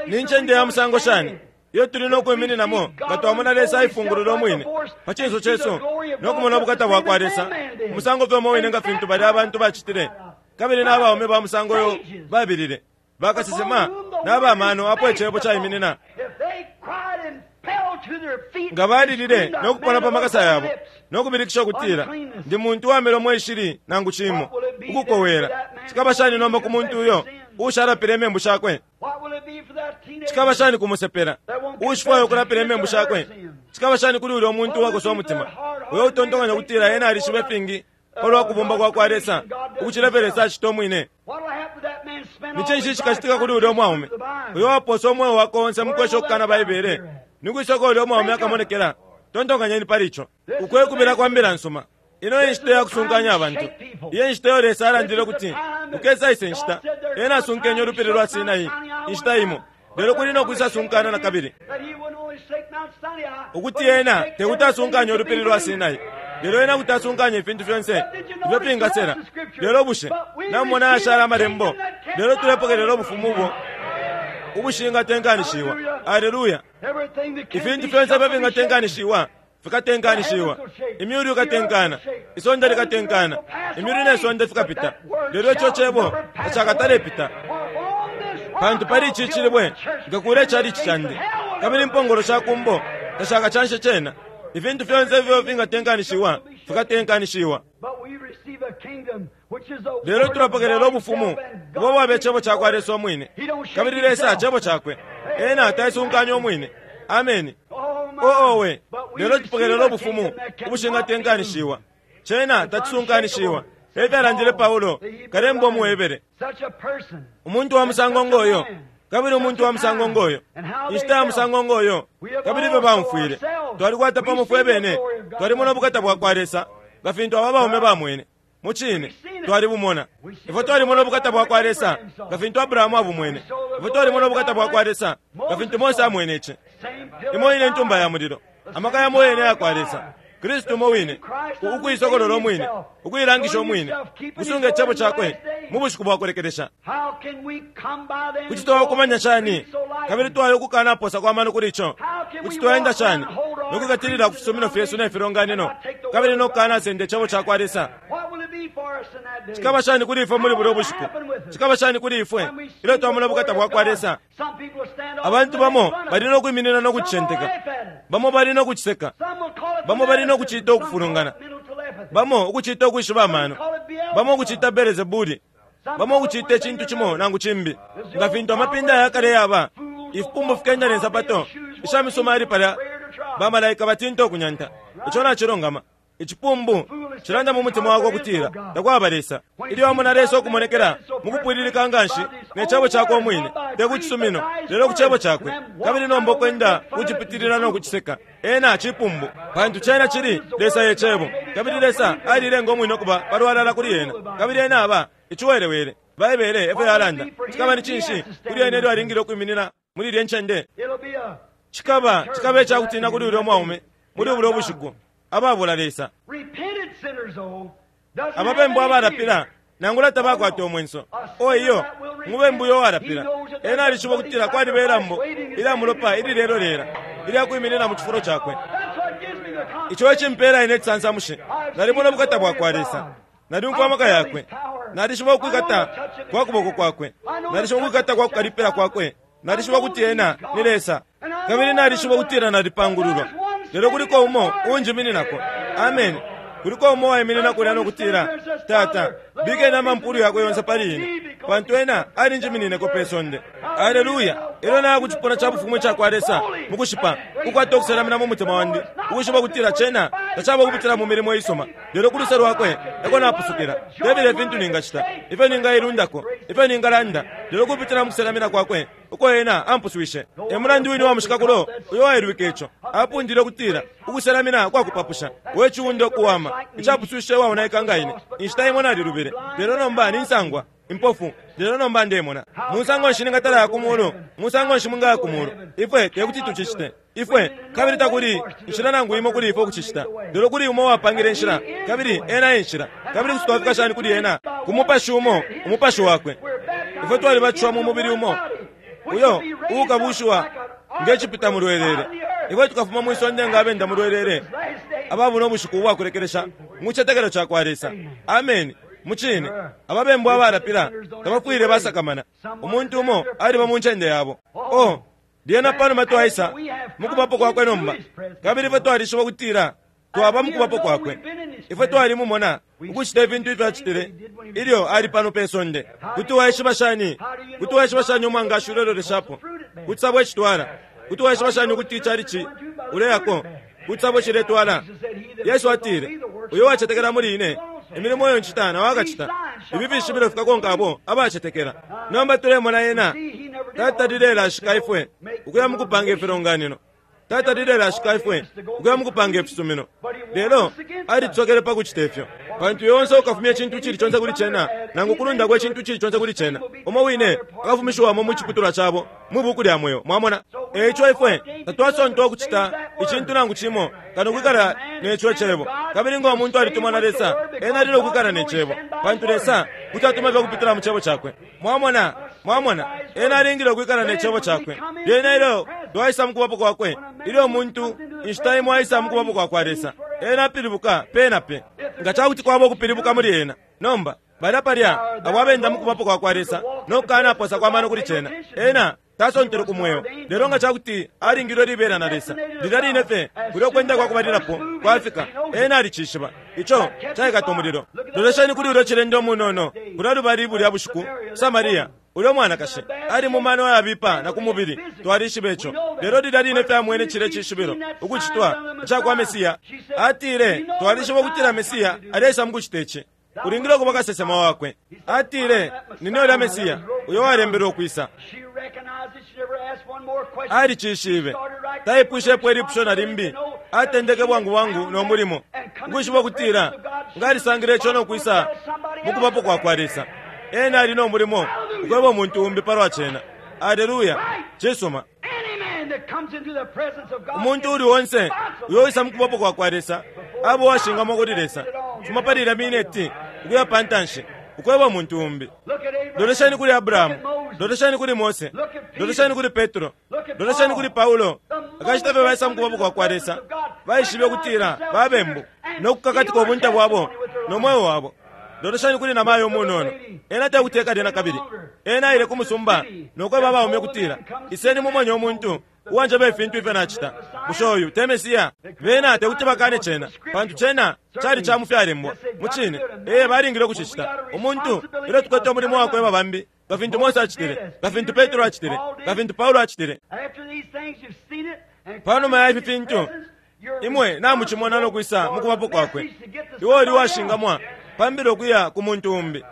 Ni ncende ya musango shani iyo tuli no kwimininamo nga twamona Lesa aifungulula umwine pa cinso cesu no kumona ubukata bwa kwa Lesa, umusango fye umo wine nga fintu balya abantu bacitile, kabili n'abaume ba musango yo babilile, bakasesema n'abamano apo icebo caiminina. Nga balilile no kupona pa makasa yabo no kubilikisha ukutila, ndi muntu wa milomo ishili nangu cimo ukukowela. Cikaba shani nomba ku muntu uyo ushalapile imembu shakwe? Cikaba shani kumusepela ushifwayo ukulapila imembu shakwe? Cikaba shani kuli ulya umuntu uwakosa umutima, uyo utontokanya ukutila ena alishibe fingi palwa kubumba kwa kwa Lesa ukucila fye Lesa acita umwine? Ni cinshi cikacitika kuli ulya umwaume uyo waposa umweo wakwe onse mu kwesha ukukana Baibele? Ni kwisoko ulya umwaume akamonekela. Tontokanyeni pali ico. Ukwekubila kwa mbila nsuma. Ino inshita ya kusunkanya abantu. Iyo inshita iyo Lesa alandile ukuti ukesa ise nshita, ena asunkenye ulupili lwa Sinai inshita imo, lelo kuli no kwisa sunkana na kabili. Ukuti ena tekuti asunkanye ulupili lwa Sinai, lelo ena kuti asunkanye ifintu fyonse ifyo fingasela. Lelo bushe namumona ashala amalembo, lelo tulepokelela ubufumu ubo ubushingatenkanishiwa. Aleluya! Ifintu fyonse ifyo fingatenkanishiwa fikatenkanishiwa. Imyulu ikatenkana, isonde likatenkana, imyulu ne sonde fikapita, lelo ico cebo tacakatalepita. Pantu pali ici cilibwe nkakula icalici candi, kabili impongolo sha kumbo tashakacanshe cena. Ifintu fyonse ifyo fingatenkanishiwa fikatenkanishiwa. Lelo tulapokelela ubufumu ubo bwaba icebo cakwa Lesa umwine, kabili Lesa cebo cakwe. Ena taisunkanya umwine. Ameni. Oowe, lelo tupokelela ubufumu ubushingatenkanishiwa. Cena tacisunkanishiwa. Efyalandile Paulo kalemba umuHebere. Umuntu wa musango ngoyo, kabili umuntu wa musango ngoyo, inshita ya musango ngoyo, kabili ifyo baumfwile. Twalikwata pamo fwe bene, twalimona ubukata bwa kwa Lesa nga fintu aba baume bamwene. Mucine twalibumona. Ifwe twalimona ubukata bwa kwa Lesa nga fintu Abrahamu abumwene. Ifwe twalimona ubukata bwa kwa Lesa nga fintu Mose amwene ici. Imo ine ntumba ya mulilo, amaka yamo yene ya kwa Lesa, Kristu umo wine, ukuisokolola umwine, ukuilangisha umwine, kusunga icebo cakwe mu bushiku bwa kulekelesha. Kuti twakumanya shani kabili twayo ukukanaposa kwa mano kuli ico? Kuti twaenda shani nokukatilila ku fisumino fyesu ne filonganino kabili nokukanasenda icebo ca kwa Lesa? Cikaba shani kuli ifwe muli bulya ubushiku? Cikaba shani kuli ifwe ilyo twamona ubukata bwa kwa Lesa? Abantu bamo bali nokwiminina nokucicenteka, bamo bali nokuciseka, bamo bali nokucita ukufulungana, bamo ukucita ukwishiba amano, bamo ukucita Belzebuli, bamo ukucita icintu cimo nangu cimbi. Nga fintu amapinda yakale yaba, ifipumbu fikenda ne nsapato isha misumali palya, bamalaika batinta ukunyanta. Ico nacilungama. Icipumbu cilanda mu mutima wakwe ukutila takwaba Lesa. Ilyo amona Lesa ukumonekela mukupwililika nganshi ne cebo cakwe umwine, te ku cisumino lelo ku cebo cakwe, kabili nomba ukwenda kucipitilila no kuciseka, ena cipumbu, pantu cena cili Lesa ye cebo, kabili Lesa alilenga umwine ukuba palwalala kuli ena, kabili ena aba iciwelewele. Baibele efyo yalanda. Cikaba ni cinshi kuli ena ilyo alingile ukwiminina muli ilye ncende? Cikaba cikaba icakutina kuli ulya mwaume muli bulya ubushiku ababula Lesa. Ababembu abalapila nangula tabakwata umwenso. O iyo, umubembu uyo walapila ena alishiba ukutila kwaliba ilambo ilya mulopa ililelo lela ilya kwiminina mu cifulo cakwe. Ico ecimpela ine cisansamushe. Nalimona ubukata bwa kwa Lesa, nalyumfwa amaka yakwe, nalishiba ukwikata kwa kuboko kwakwe, nalishiba ukwikata kwa kukalipila kwakwe, nalishiba ukuti ena ni Lesa, kabili nalishiba ukutila nalipangululwa. Lelo kuliko umo uunjimininako. Amen. Kuliko umo waiminina kulya nokutila, Tata, bikeni amampulu yakwe yonse pali ine, pantu ena alinjiminineko pe sonde. Aleluya. Ilyo naya ku cipuna ca bufumu ica kwa Lesa mukushipa, kukwata ukuselamina mu mutima wandi, ukushipa ukutila cena tacaba ukupitila mu milimo isuma, lelo ku luse lwakwe eko napusukila. Tebile ifintu ningacita, ifyo ningailundako, ifyo ningalanda, lelo kupitila mu kuselamina kwakwe uko ena ampuswishe. E mulandu wine wa mushikakulo uyo wailwike ico apundile ukutila ukuselamina kwakupapusha, we ciwundo kuwama icapuswishe waonaika nga ine. Inshita imo nalilubile, lelo nomba ninsangwa impofu, lelo nomba ndemona. Musango nshi ningatala ya kumulu? Musango nshi mungaya kumulu? Ifwe tekuti tucicite ifwe, kabili takuli inshila nangu imo kuli ifwe ukucicita, lelo kuli umo wapangile inshila, kabili ena enshila. Kabili kuti twafika shani kuli ena? Ku mupashi umo, umupashi wakwe. Ifwe twalibatishiwa mu mubili umo uyo uukabushiwa ngecipita mulwelele. Ifwe tukafuma mwisonde nga abenda mulwelele ababuna ubushiku ubwakulekelesha mu citetekelo ca kwa Lesa. Ameni. Mucine ababembu abalapila tabafwile basakamana. Umuntu umo aliba mu ncende yabo. Oh, lyena panuma twaisa mukubapo kwakwe nomba, kabili ifwe twalishiba ukutila twaba mukubapo kwakwe. Ifwe twalimumona ukucita ifintu ifyo acitile ilyo ali pano pe sonde. Kuti waishiba shani? Kuti waishiba shani umwangashi uleloleshapo? Kuti sabo ecitwala? Kuti waishiba shani ukuti icalici uleyako? Kuti sabo ciletwala? Yesu atile, uyo wacetekela muli ine, imilimo iyo ncita nawe akacita. Ibi fishibilo fikakonka abo abacetekela. Nomba tulemona ena tatalilelashika ifwe ukuya mukupanga ifilonganino, tatalilelashika ifwe ukuya mukupanga ifisumino, lelo alitusokele pa kucita ifyo. Pantu yonse ukafumya icintu cili conse kuli cena, nangu kulundako icintu cili conse kuli cena, umo wine akafumishiwamo mu ciputulwa cabo mwi buku lya mweo. Mwamona? Eico ifwe tatwasontwa ukucita icintu nangu cimo kano kwikala neco cebo. Kabili nga umuntu alitumwa na Lesa, ena alile ukwikala ne cebo, pantu Lesa kuti atuma fye ukupitila mu cebo cakwe. Mwamona? Mwamona? Ena alingile ukwikala ne cebo cakwe. Lyena ilyo twaisa mukubapo kwakwe, ilyo umuntu inshita imo aisa mukubapo kwa kwa Lesa, ena apilibuka pe na pe. Nga cakuti kwaba ukupilibuka muli ena. Nomba balya palya abo abenda mukubapo kwa kwa Lesa nokukanaposa kwa mano kuli cena, ena tasontele ku mweo. Lelo nga cakuti alingilwe libela na Lesa, lilya line fye kulya ukwenda kwa kubalilapo kwafika, ena alicishiba. Ico caikata umulilo. Lolesheni kuli ulyo cilende umunono kulya lubali bulya bushiku, Samaria. Ulyo mwanakashi ali mu mano ayabipa na ku mubili, twalishiba ico. Lelo lilya line fye amwene cilya cishibilo ukucitwa ica kwa Mesiya, atile, twalishiba ukutila Mesiya aleisa mu kucita ici. Ulingile ukuba kasesema wakwe. Atile, nine ulya Mesiya uyo walembelwe ukwisa. Alicishibe. Taipwishepo ilipusho na limbi. Atendeke bwangu bwangu no mulimo, ukwishiba ukutila nga alisangile ico no kwisa mu kubapo kwa kwa Lesa. Ena ali no mulimo ukweba umuntu umbi palwa cena. Aleluya. Cisuma. Umuntu uli onse uyo wisa mu kubapo kwa kwa Lesa abo washingamo kuli Lesa. Fuma pali ilya mineti ukuya pa ntanshi ukweba umuntu umbi. Lolesheni kuli Abrahamu, lolesheni kuli Mose, lolesheni kuli Petro, lolesheni kuli Paulo. Akashita fye baisa mu kubapo kwa kwa Lesa, baishibe ukutila babembu no kukakatika ubunte bwabo no mweo wabo. Lolesheni kuli namayo umunono. Ena tekuteka lyena kabili. Ena aile ku musumba no kweba abaume ukutila, iseni mumone umuntu uwanjeba ifintu ifyo nacita. Bushe uyu te Mesiya? Bena tekuti bakane cena, pantu cena cali ca mufyalembwa. Mucine, ee, balingile ukucicita. Umuntu ilyo tukwete umulimo wakweba bambi, nga fintu Mose acitile, nga fintu Petro acitile, nga fintu Paulo acitile. Panuma ya ifi fintu, imwe namucimona no kwisa mu kubapo kwakwe. Iwe uli washingamwa pambile ukuya ku muntu umbi.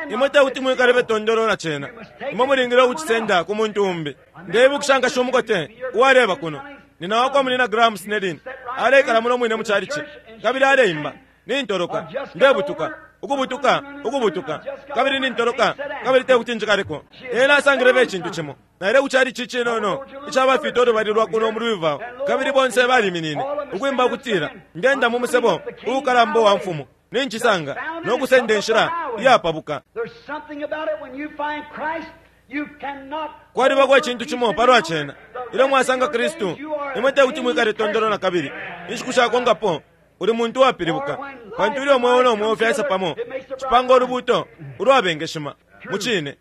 Imwe tekuti mwikale betondolo na cena. Imwe mulingile ukucisenda ku muntu umbi. Ndeibukisha nkashi umukote uwaleba kuno. Nina wakwa munina Graham Snedin. Aleikala muno mwine mu chalichi. Kabili aleimba. Nintoloka. Ndebutuka. Ukubutuka, ukubutuka. Kabili nintoloka. Kabili tekuti njikaleko. Ena asangile icintu cimo. Naile ku chalichi cinono icabafita ulubali lwa kuno mu Louisville. Kabili bonse baliminine ukwimba ukutila, ngenda mu musebo uukalamba wa mfumu. Nincisanga no kusenda inshila iyapabuka. Kwalibako icintu cimo palwa cena. Ilyo mwasanga Kristu, imwe tekuti mwikale tondolo na kabili. Inshiku shakonkapo uli muntu wapilibuka, pantu ilyo mweo no mweo fyaisa pamo cipanga ulubuto ulwabengeshima. Mucine,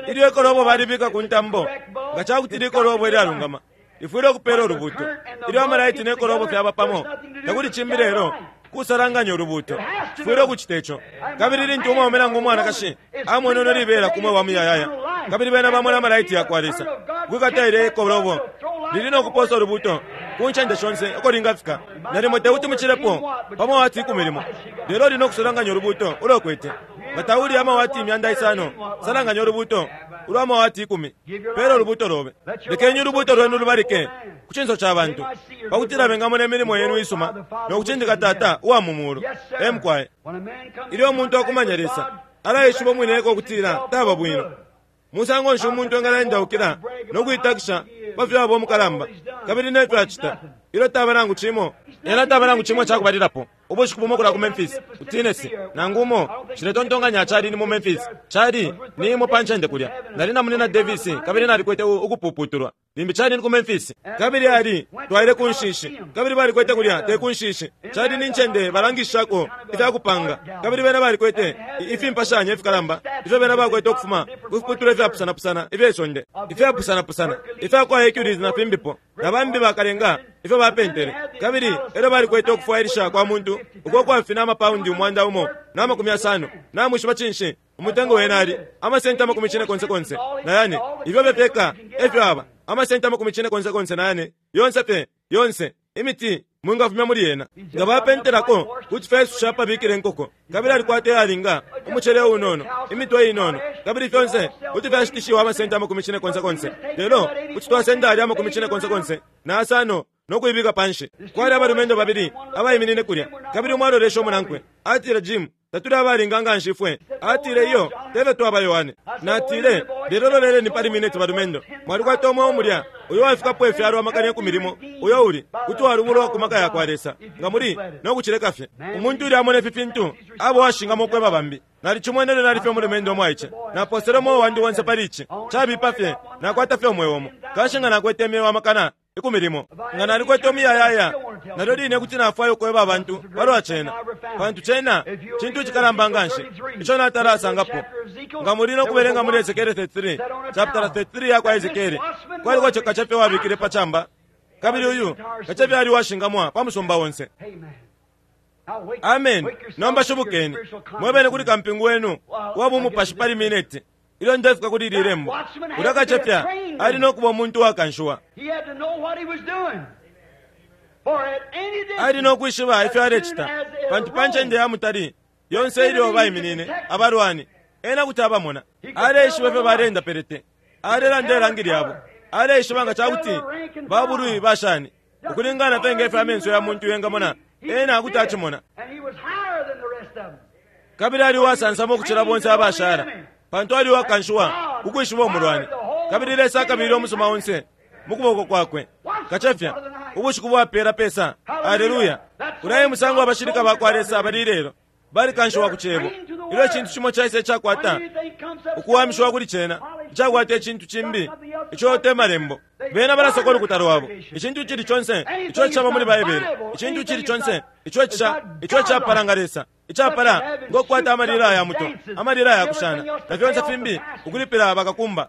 ilyo ikolobo balibika ku ntambo, nga cakuti likolobo ilyalungama lifwile ukupela ulubuto. Ilyo amalaiti ne kolobo fyaba pamo, takuli cimbi lelo kusalanganya ulubuto. Cifwile ukucita ico. Kabili lintu umwaume nangu umwanakashi amwene uno libela kumwe wa muyayaya, kabili bena bamona amalaiti yakwa Lesa kwikata ile ikolobo lili no kuposa ulubuto ku ncende shonse uko lingafika. Nalimo tekuti mucilepo pa mawati ikumi limo, lelo lino kusalanganya ulubuto ulokwete. Nga tauli amawati imyanda isano, salanganya ulubuto ulwa mawati ikumi. Pela ulubuto lobe. Lekeni ulubuto lwenu lubalike ku cinso ca bantu, pakutila bengamona imilimo yenu isuma no kucindika Tata uwa mu mulu. Emukwaye. Ilyo umuntu akumanya Lesa, alaishiba umwine ukutila taba bwino. Musango nshi umuntu engalaendaukila no kuitakisha pa fyo aba umukalamba kabili nefyo acita ilyo taba nangu cimo. Ena taba nangu cimo cakubalilapo. Ubushiku bumo kula ku Memphis, ku Tennessee, nangu umo nshiletontonkanya cali ni mu Memphis, cali ni imo pa ncende kulya. Nali na munina Davis kabili nalikwete ukupuputulwa. Limbi cali ni ku Memphis. Kabili ali twaile ku nshishi, kabili balikwete kulya te ku nshishi. Cali ni ncende balangishako ifyakupanga, kabili bena balikwete ifimpashanya ifikalamba ifyo bena bakwete ukufuma ku fiputulwa ifyapusanapusana ifyesonde, ifyapusanapusana ifyakwa Hercules na fimbipo, na bambi bakalenga ifyo bapentele. Kabili elyo balikwete ukufwailisha kwa muntu uko kwafina amapaundi umwanda umo na makumi asano. Namwishiba cinshi umutengo wena ali amasenti amakumi cine konse konse na yane. Ifyo bepeka efyo aba amasenti amakumi cine konse konse na yane, yonse pe yonse imiti mwingafumya muli yena. Nga bapentelako kuti fyasusha pabikile nkoko. Kabili alikwata yalinga umucele unono, imitwe inono, kabili fyonse kuti fyashitishiwa amasenti amakumi cine konse konse. Lelo kuti twasenda ali amakumi cine konse konse na asano no kuibika panshi. Kwali abalumendo babili abaiminine kulya, kabili umwe alolesha umunankwe. Atile, Jim, tatuli abalinga nga nshi ifwe. Atile, iyo tebe twaba Yohane. Natile, lelo loleleni pali mineti balumendo, mwalikwata umwe mulya uyo wafikapo ifyalo amakana ikumi limo, uyo uli kuti walubulwa ku maka yakwa Lesa nga muli no kucileka fye. Umuntu uli amona ifi fintu abo washingamo ukweba bambi. Nalicimwene lelo nalifye umulumendo omwaice. Naposele umweo wandi wonse pali ici. Cabipa fye, nakwata fye umweo umo. Kanshi nga nakwete imyeo amakana ikumi limo, nga nalikwete umuyayaya, nalyo line kuti nafwaya ukweba abantu palwa cena, pantu cena cintu icikalamba nga nshi ico natalasangapo. Nga muli no kubelenga muli Ezekiele thirty-three, chapter thirty-three yakwa Ezekiele, kwaliko kacefe wabikile pa camba, kabili uyu kacefe ali washingamwa pa musumba wonse. Amen. Nomba shibukeni mwebene kuli kampingu wenu wa bumupashi pali mineti ilyo ndefika kuli ili lembo. Ulya kacefya ali no kuba umuntu wakanshiwa, ali no kwishiba ifyo alecita, pantu pa ncende ya mutali yonse ilyo baiminine abalwani ena kuti abamona. Aleishiba ifyo balenda pelete, alelanda ilangi lyabo, aleishiba nga cakuti babulwi bashani ukulingana penge ifyo amenso ya muntu yengamona, ena kuti acimona. Kabili ali uwasansama ukucila bonse abashala, pantu ali uwakanshiwa ukwishiba umulwani. Kabili Lesa akabile umusuma onse mu kuboko kwakwe. Kacefya ubushiku bwapela pesa. Aleluya! Ulaye musango abashilika bakwa Lesa bali lelo, balikanshiwa ku cebo. Ilyo icintu cimo caisa icakwata ukuwamishiwa kuli cena, icakwata icintu cimbi ico te malembo, bena balasoka ulukuta lwabo. Icintu cili conse ico caba muli Baibele, icintu cili conse ico ica ico icapala nga Lesa, icapala ngokukwata amalila ya muto, amalila ya kushana na fyonse fimbi, ukulipila bakakumba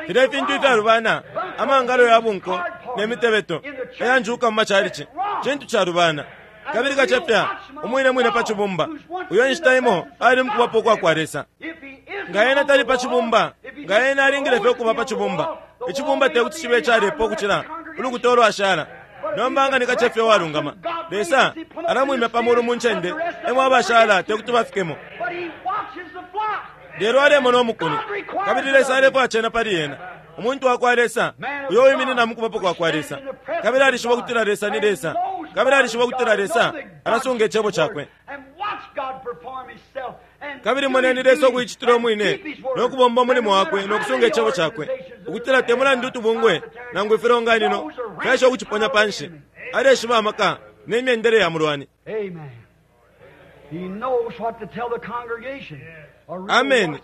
filya ifintu ifyalubana, amangalo ya bunko ne mitebeto eyanjuka mu macalici, cintu calubana. Kabili kacefya umwine mwine pa cibumba, uyo inshita imo ali mukubapo kwa kwa Lesa. Nga ena tali pa cibumba, nga ena alingile fye ukuba pa cibumba, icibumba te kuti cibe calepa ukucila ulukuta ulwashala. Nomba nga ni kacefya uwalungama, Lesa alamwimya pa mulu mu ncende emo abashala te kuti bafikemo. Lelo alemona umukuni, kabili Lesa alefwaya cena pali ena, umuntu wa kwa Lesa uyo wiminina mukubapo kwa kwa Lesa. Kabili alishiba ukutila Lesa ni Lesa, kabili alishiba ukutila Lesa alasunga icebo cakwe. Kabili moneni Lesa ukuicitila umwine no kubomba umulimo wakwe no kusunga icebo cakwe, ukutila te mulandu utubungwe nangu ifilonganino fyasha ukuciponya panshi, aleshiba amaka ne myendele ya mulwani. Amen.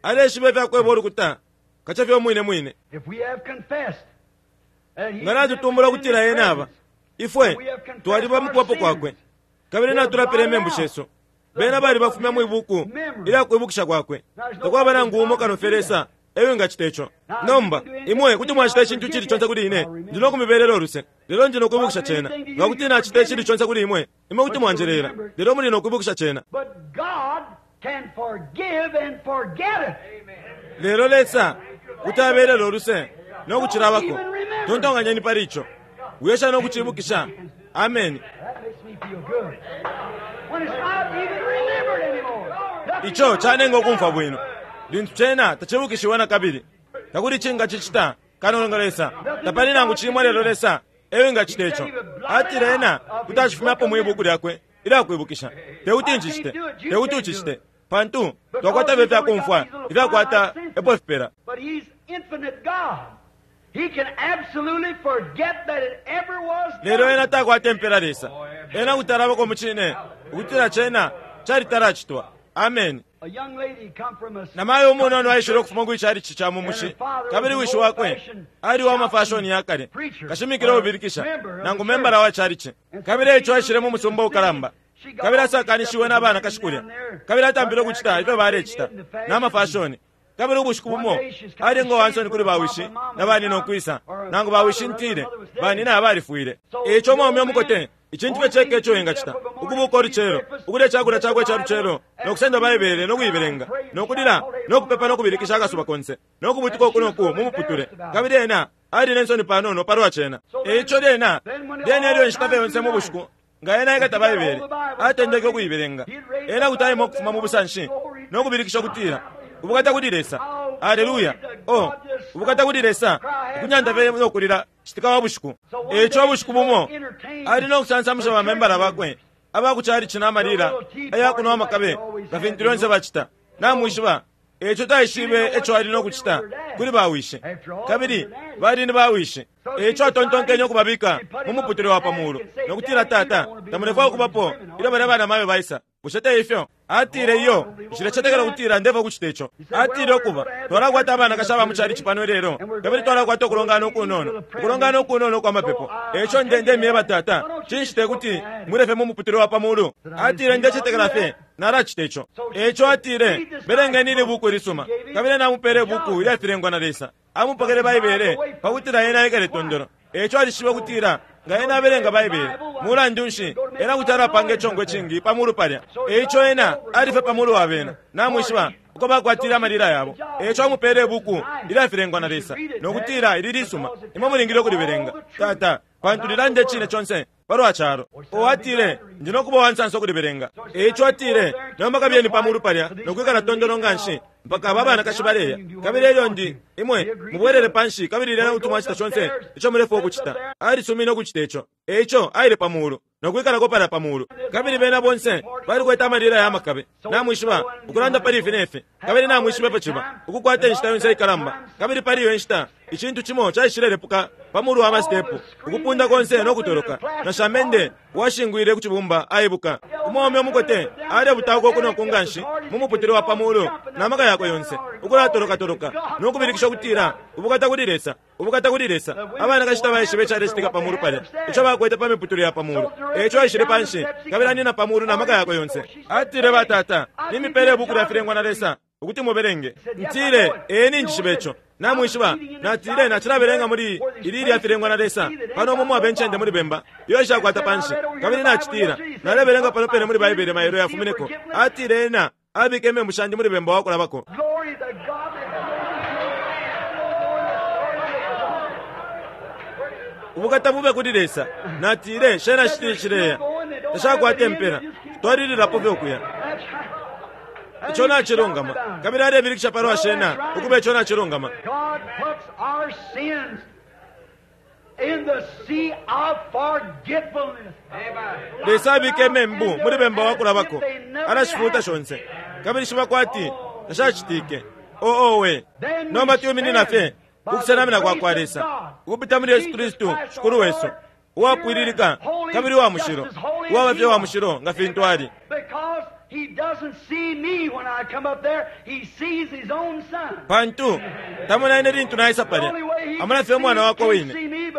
Aleshiba ifyakweba ulukuta kacefya umwine mwine. Nga natutumbula ukutila ena aba ifwe twaliba mukubapo kwakwe, kabili natulapila imembu shesu, bena bali bafumya mwibuku ilya kwibukisha kwakwe. Takwaba nangu umo kano fye Lesa eyo ngacita ico. Nomba imwe kuti mwacita icintu cili conse kuli ine, ndi no kumibelela uluse, lelo ndi no kwibukisha cena. Nga kuti nacita icili conse kuli imwe, imwe kuti mwanjelela, lelo muli no kwibukisha cena. Lelo Lesa kuti abelela uluse no kucilabako. Tontonganyeni pali ico. Wiyesha no kucibukisha. Amen. Ico canenga ukumfwa bwino lintu cena tacibukishiwe na kabili. Takuli cingacicita kano nga Lesa. Tapali nangu cimo lelo Lesa eyo ngacita ico. Atile ena kuti acifumyapo mwibuku lyakwe ilyakwibukisha. Tekuti ncicite, tekuti ucicite, pantu twakwata fye ifyakumfwa ifyakwata epo fipela. Lelo ena takwata impela Lesa. Ena kuti alabako mucine ukutila cena calitalacitwa. Amen. Namayo umunono aishile ukufuma ku icalici ca mu mushi, kabili wishi wakwe ali wa mafashoni ya kale, kashimikila ubilikisha nangu membala wa calici. Kabili ico aishile mu musumba ukalamba, kabili asakanishiwe na bana kashikulya, kabili atampile ukucita ifyo balecita na mafashoni. Kabili ubushiku bumo ali ngo wansoni kuli bawishi na banina ukwisa, nangu bawishi ntile banina balifwile. Ico mwaume umukote icintu fye ceka ico engacita ukubuka olucelo, ukulya icakulya cakwe ca lucelo, no kusenda Baibele no kuibelenga, no kulila no kupepa no kubilikisha akasuba konse, no kubutuka uku no ku mu muputule. Kabili ena ali nensoni panono palwa cena. Eico lyena lyena ilyo inshita fye yonse mu bushiku nga ena aikata Baibele atendeke ukuibelenga, ena kuti aima ukufuma mu busanshi no kubilikisha ukutila, ubukata kuli Lesa, aleluya, oh, ubukata kuli Lesa, ukunyanta fye no kulila citika wa bushiku. Eico ubushiku bumo ali no kusansamusha bamembala bakwe abakucalici na malila ayakunwa amakabe nga fintu lyonse bacita. Namwishiba eico taishibe eco ali no kucita kuli bawishe, kabili bali ni bawishe. Eico atontonkenye ukubabika mu muputule wa pamuulu no kutila, tata, tamulefwaya ukubapo ilyo balya bana mayo baisa. Bushe te ifyo? Atile, iyo, nshilecetekela ukutila ndefwa ukucita ico. Atile, ukuba twalakwata abanakashi aba mu calici pano lelo, kabili twalakwata ukulongana ukunono, ukulongana ukunono ukwa mapepo. Eico nde ndemyeba tata, cinshi te kuti mulefe mu muputule wa pamuulu? Atile, ndecetekela fye nalacita ico. Eico atile, belengeni ili buku ilisuma. Kabili namupele buku ilyafilengwa na Lesa. Amupokele Baibele pakutila ena aikale tondolo. Eico alishibe ukutila Nga ena abelenga Baibele, mulandu nshi ena kuti alapanga icongo icingi pa mulu palya. Eico ena alife pa mulu wa bena, namwishiba uko bakwatile amalila yabo. Eico amupele ibuku ilyafilengwa na Lesa nokutila ili lisuma, imwe mulingile ukulibelenga, tata, pantu lilanda icine conse palwa calo. O atile, ndi nokuba uwansansa ukulibelenga. Eico atile, nomba kabiyeni pa mulu palya nokwikala tondolo nganshi mpaka aba abanakashi baleya, kabili elyo ndi imwe mubwelele panshi, kabili lyena kuti mwacita conse ico mulefwaya ukucita. Alisumine ukucita ico. Eico aile pa mulu nokwikalako palya pa mulu, kabili bena bonse balikwete amalila ya makabe, namwishiba, ukulanda pali ifi nefi, kabili namwishiba ifyo ciba ukukwata inshita yonse ikalamba. Kabili pali iyo inshita icintu cimo caishilelepuka pa mulu wa masitepu, ukupunda konse nokutoloka, na shamende washingwile ku cibumba aibuka. Umwaume umukote alebutauka uku noku nganshi mu muputule wa pa mulu na maka yakwe yonse, ukulatolokatoloka nokubilikisha ukutila, ubukata kuli Lesa, ubukata kuli Lesa. Abanakashi tabaishibe icalecitika pa mulu palya, ico bakwete pa miputule ya pa mulu. Eico aishile panshi kabili anina pa mulu na maka yakwe yonse. Atile, batata, nimipele ibuku lyafilengwa na Lesa ukuti mubelenge. Ntile, ee, ninjishiba ico, namwishiba. Natile, nacilabelenga muli ili ilyafilengwa na Lesa pano umo mwaba incende muli bemba iyo ishakwata panshi, kabili nacitila nalebelenga pano pene muli Baibele mailo yafumineko. Atile ena abike imembu shandi muli bemba wakulabako. Glory to God. Ubukata bube kuli Lesa. Natile, shena shitili cileya tashakwata impela, twalililapo fye ukuya. That's right. Ico nacilungama. Kabili alebilikisha palwa shena ukuba ico nacilungama. God puts our sins in the sea of forgetfulness. Lesa abika imembu muli bemba wakulabako, alashifuta shonse, kabili shiba kwati tashacitike. Oo we, nomba tuuminina fye kukusenamina kwa kwa Lesa ukupita muli Yesu Kristu Shikulu wesu, uwapwililika kabili uwa mushilo, uwaba fye wa mushilo nga fintu ali. Because he doesn't see me when I come up there, he sees his own son. Pantu tamona ine lintu naisa palya, amona fye umwana wakwe wine.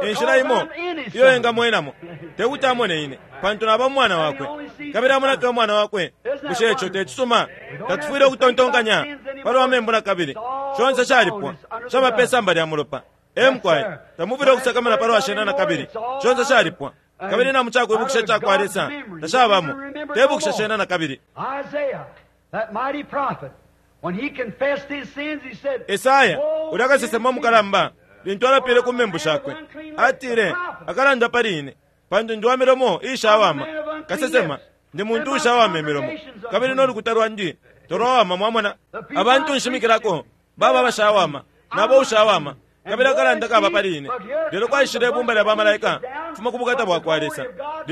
Inshila imo iyo engamwenamo tekuti amone ine, pantu naba umwana wakwe, kabili amona fye umwana wakwe. Bushe ico tecisuma? Tatufwile ukutontonkanya palwa membu na kabili, conse calipwa, caba pe samba lya mulopa. Emukwaye tamufwile ukusakamana palwa shena na kabili, conse calipwa, kabili na mucakwibukisha cakwa Lesa tashabamo, tebukisha shena na kabili. Isaiah, that mighty prophet, when he confessed his sins, he said, Esaya "Woe ulya kasesema is me." mukalamba, lintu alapile ku membu shakwe, atile, akalanda pali ine, pantu ndi wa milomo iishawama. Kasesema, ndi muntu uushawama imilomo, kabili nolukuta lwandi tolwawama. Mwamona, abantu nshimikilako baba abashawama, nabo ushawama, kabili akalanda kaba pali ine. Lelo kwaishile ibumba lya bamalaika kufuma ku bukata bwa kwa Lesa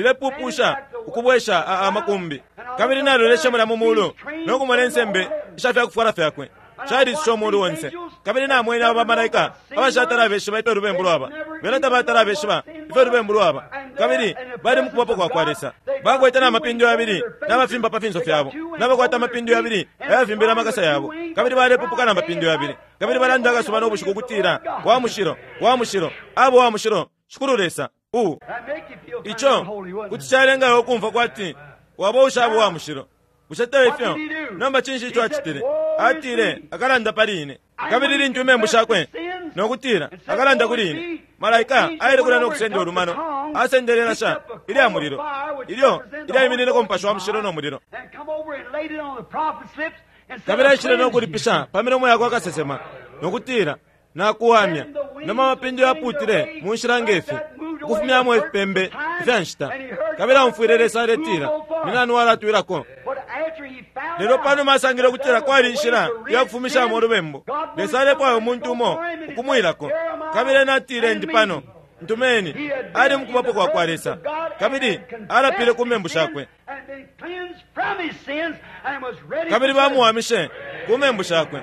lilepupusha ukubwesha a- amakumbi, kabili naloleshe mulya mu mulu nokumona insembe isha fyakufwala fyakwe calisisha umulu onse. Kabili namwene aba bamalaika abashatala abeshiba ifyo lubembu lwaba, bena tabatala abeshiba ifyo lubembu lwaba, kabili bali mukubapo kwa kwa Lesa, bakwete n'amapindo yabili n'amafimba pa finso fyabo, n'abakwata amapindo yabili ayafimbile amakasa yabo, kabili balepupuka n'amapindo yabili, kabili balanda akasuba n'obushiku ukutila, wa mushilo, wa mushilo, abo wa mushilo Shikulu Lesa u That make you feel kind ico of holy, wouldn't kuti it? calengayo ukumva kwati waba ushaba wa mushilo. Bushe te ifyo? Nomba cinshi ico acitile? Atile, akalanda pali ine. Kabili lintu imembu shakwe nokutila akalanda kuli ine, malaika aile kulya nokusenda ulumano, asendele ilasha ilya mulilo ilyo ilyaiminineko umupashi wa mushilo no mulilo, And come over and laid it on the prophet's lips and said, kabili aishile "I cleanse you." nokulipisha pa milomo yakwe akasesema nokutila, nakuwamya. Noma amapindo yaputile mu nshila ngefi ukufumyamo ifipembe ifya nshita, kabili amfwile Lesa aletila, ni nani walatwilako? But after he found Lelo out panuma asangile that ukutila there was kwali a way inshila to rid ya kufumishamo sin, ulubembu, God wanted Lesa alefwaya somebody umuntu to umo go for him, and he ukumwilako, said, "Here am I, kabili ena atile, send ndi me." pano, ntumeni. He had been Ali in mukubapo the kwa kwa presence Lesa of God kabili and had alapile ku confessed membu his sins shakwe, and been cleansed from his sins and was ready kabili for service. bamuwamishe ku membu shakwe,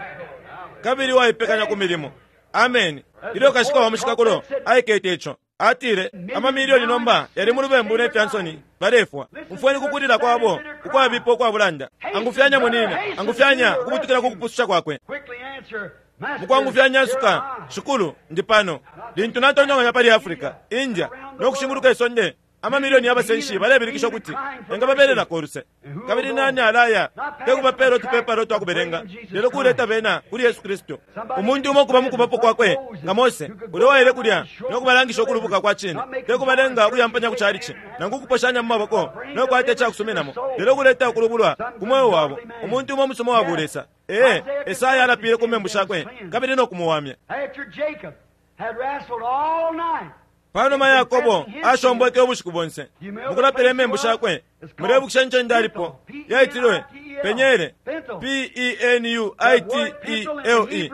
kabili waipekanya ku milimo. Ameni. Ilyo kashika wa mushikakulo aikete ico, atile, amamilioni nomba yali mu lubembu ne fya nsoni, balefwa. Umfweni kukulila kwabo ukwabipa ukwabulanda. Angufyanya munina, angufyanya ukubutukila ku kupususha kwakwe. Quickly answer, Master, Mukwangufyanya here asuka, am I. Shikulu, ndi pano. Lintu natontonkanya pali Africa, India no kushinguluka isonde, Amamilioni y'abasenshi balebilikisha ukuti engababelelako uluse. Kabili nani alaya tekubapeela utupepala utwakubelenga, lelo kuleta bena kuli Yesu Kristu. Umuntu umo kuba mukubapo kwakwe nga Mose ule waile kulya no kubalangisha ukulubuka kwa cine, tekubalenga ukuyampanya ku chalichi nangu kuposhanya mu maboko no kwata icakusuminamo, lelo kuleta ukulubulwa ku mweo wabo. Umuntu umo musomo wa bulesa. Ee, Esaya alapile ku membu shakwe kabili no kumuwamya. After Jacob had wrestled all night, Panuma Yakobo ashombweke ubushiku bonse mukulapila imembu shakwe, mulebukisha ncende alipo yaitilwe Penyele, P E N U I T E L E,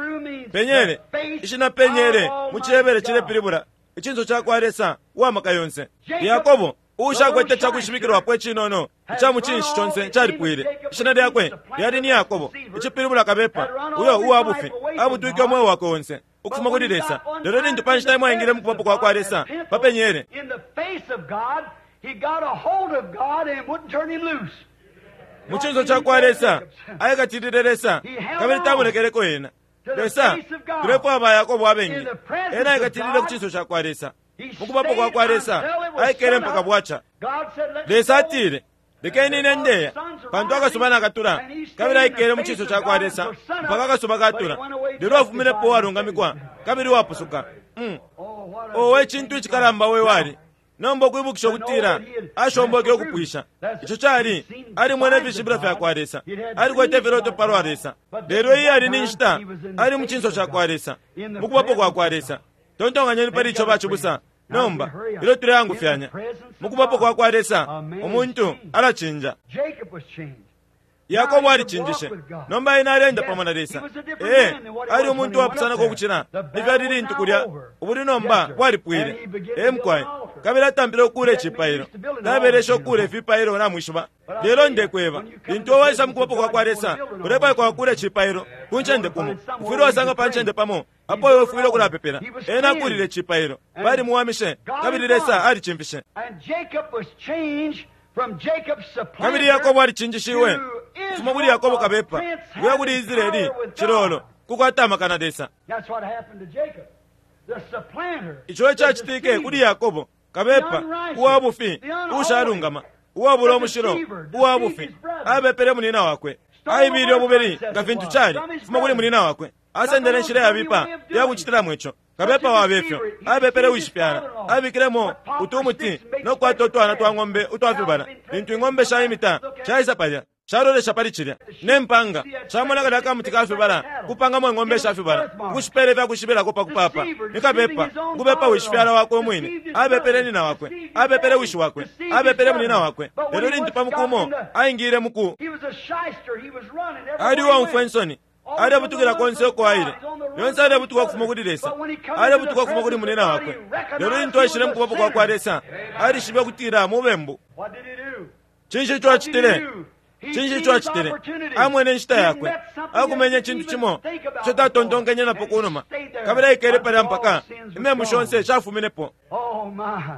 Penyele. Ishina Penyele mu Cihebere cilepilibula icinso ca kwa Lesa uwamaka yonse. Yakobo uushakwete cakwishibikilwapo icinono ica mu cinshi conse calipwile. Ishina lyakwe lyali ni Yakobo, icipilibula kabepa, uyo uwa bufi abutwike umweo wakwe onse ukufuma kuli Lesa. Lelo lintu pa nshita imwe aingile mu kubapo kwa kwa Lesa pa Penyele, in the face of God, he got a hold of God and wouldn't turn him loose. mu cinso ca kwa Lesa aikatilile Lesa kabili tamulekeleko ena. Lesa tulefwaya ba Yakobo abengi. Ena aikatilile ku cinso ca kwa Lesa, mu kubapo kwa kwa Lesa aikele mpaka bwaca. God said, Let me Lesa go. atile, lekeni ine ndeya, pantu akasuba nakatula. Kabili aikele mu cinso ca kwa Lesa mpaka akasuba katula, lelo afuminepo uwalungamikwa kabili uwapusuka. Mm. Oh, what a Owe cintu icikalamba we wali. Nomba ukwibukisha ukutila ashomboke ukupwisha ico cali alimwene ifishibilo fya kwa Lesa, alikwete ifiloto palwa Lesa, lelo iye ali ni nshita ali mu cinso ca kwa Lesa, mu kubapo kwa kwa Lesa. Tontonkanyeni pali ico bacibusa. Nomba ilyo tuleyangufyanya, mu kubapo kwa kwa Lesa umuntu alacinja. Jacob was changed. Yakobo alicinjishe. Nomba ena alenda pamo na Lesa. Ee, ali umuntu wapusanako ukucila ifyo ali lintu kulya ubuli nomba bwalipwile. Ee mukwaye, kabili atampile ukuula icipailo. Tabelesha ukuula ifipailo namwishiba. Lelo ndekweba, lintu waisa mu kubapo kwa kwa Lesa, ulefwaikwa kuula icipailo ku ncende kumo. Ufwile wasanga pa ncende pamo apo iwe ufwile ukulapepela. Ena akuulile icipailo, balimuwamishe, kabili Lesa alicimfishe. And Jacob was changed from Jacob's supplanter Kabili Yakobo alicinjishiwe to kufuma kuli Yakobo kabepa Israel, a kuya kuli prince Israeli having power with chilolo God. kukwata amaka na Lesa. That's what happened to Jacob. The supplanter. Ico ecacitike kuli Yakobo kabepa uwa bufi uushalungama, uwabula umushilo, uwa bufi, abepele munina wakwe, aibile ububeli nga fintu cali kufuma kuli munina wakwe, asendele inshila yabipa yakucitilamo ico. Kabepa wabefyo abepele wishifyala, abikilemo utumuti no kukwata utwana twa ng'ombe utwafibala. Lintu ing'ombe shaimita shaisa palya, shalolesha pali cilya ne mpanga, shamona kalya kamuti kafibala kupangamo ing'ombe shafibala, ukushipela ifyakushibelako pa kupapa. Ni kabepa ukubepa wishifyala wakwe umwine, abepele nina wakwe, abepele wishi wakwe, abepele munina wakwe. Lelo lintu pa mukumo aingile muku He was a shyster. He was running everywhere ali he uwaumfwa went. insoni, alebutukila konse uko aile. Lyonse alebutuka ukufuma kuli Lesa, alebutuka ukufuma kuli munina wakwe. Lelo lintu aishile mukubapo kwa kwa Lesa, alishibe ukutila mubembu. What did he do? Cinshi ico acitile? Cinshi ico acitile? Amwene inshita yakwe, akumenye icintu cimo ico tatontonkenye napo kunuma, kabili aikele palya mpaka imembu shonse shafuminepo. Oh my.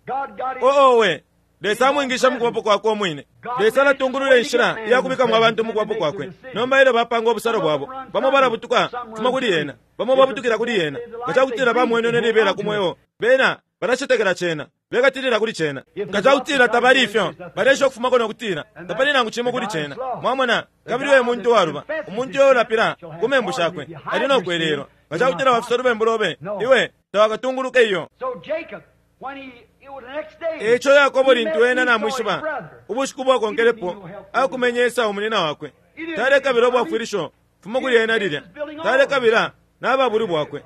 God got him. Oowe, Lesa amwingisha mukubapo kwakwe umwine. Lesa alatungulula inshila iyakubikamo abantu mukubapo kwakwe. Nomba ilyo bapanga ubusalo bwabo, bamo balabutuka kufuma kuli yena, bamo babutukila kuli yena. Nga cakutila bamwenene libela ku mweo, bena balacetekela cena, bekatilila kuli cena. Nga cakutila tabali ifyo, balesha ukufumako no kutila tapali nangu cimo kuli cena. Mwamona, kabili uyo muntu waluba, umuntu uyo ulapila ku membu shakwe ali no kwelelwa. Nga cakutila wafisa ulubembu lobe, iwe tawakatunguluke iyo. So Jacob, when he, it was the next day, Eco Yakobo he lintu met ena Esau, his namwishiba, brother. ubushiku bwakonkelepo akumenye Esau munina wakwe. Talekabila ubwafwilisho fuma kuli ena lilya, talekabila n'ababuli bwakwe.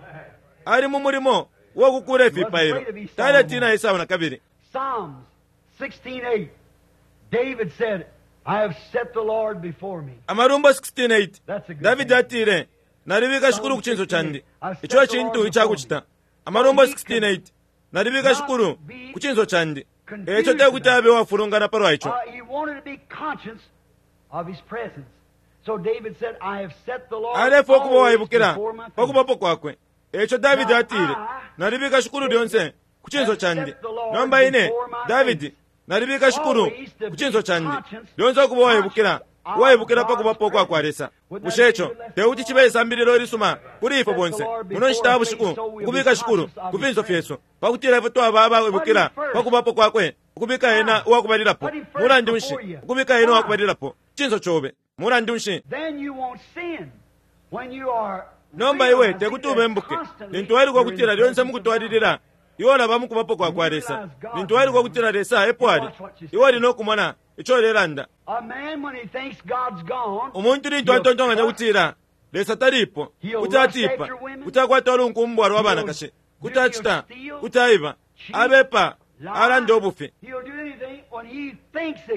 Ali mu mulimo wokukuula ifipailo, taletina Esau na kabili. Psalms sixteen eight. David said, I have set the Lord before me. Amalumbo sixteen eight, That's a good Davidi thing. atile, nalibika Shikulu ku cinso candi. Ico e cintu icakucita. Amalumbo sixteen eight, nalibika Shikulu ku cinso candi. Eco tekuti abe uwafulungana palwa ico. Uh, he wanted to be conscious of his presence. So David said, I have set the Lord Alefwa ukuba always uwaibukila before my pa face. kubapo kwakwe. Eco Davidi atile, nalibika Shikulu lyonse ku cinso candi. Nomba ine, Davidi, nalibika Shikulu ku cinso candi. Lyonse ukuba uwaibukila Uwaibukila pa kubapo kwa kwa Lesa. Bushe ico tekuti cibe isambililo ilisuma kuli ifwe bonse muno nshita ya bushiku, ukubika Shikulu ku finso fyesu, pakutila ifwe twaba abaibukila pa kubapo kwakwe, ukubika ena uwakubalilapo. Mulandu nshi ukubika ena uwakubalilapo cinso cobe? Mulandu nshi? Nomba iwe tekuti ubembuke lintu wailuka ukutila lyonse mukutwalilila iwe olaba mukubapo kwa kwa Lesa. Lintu wailuka ukutila Lesa epo ali, iwe oli nokumona ico ulelanda. Umuntu lintu atontonkanya kutila Lesa talipo, kuti atipa, kuti akwata ulunkumbwa lwa banakashi, kuti acita, kuti aiba, abepa, alanda ubufi.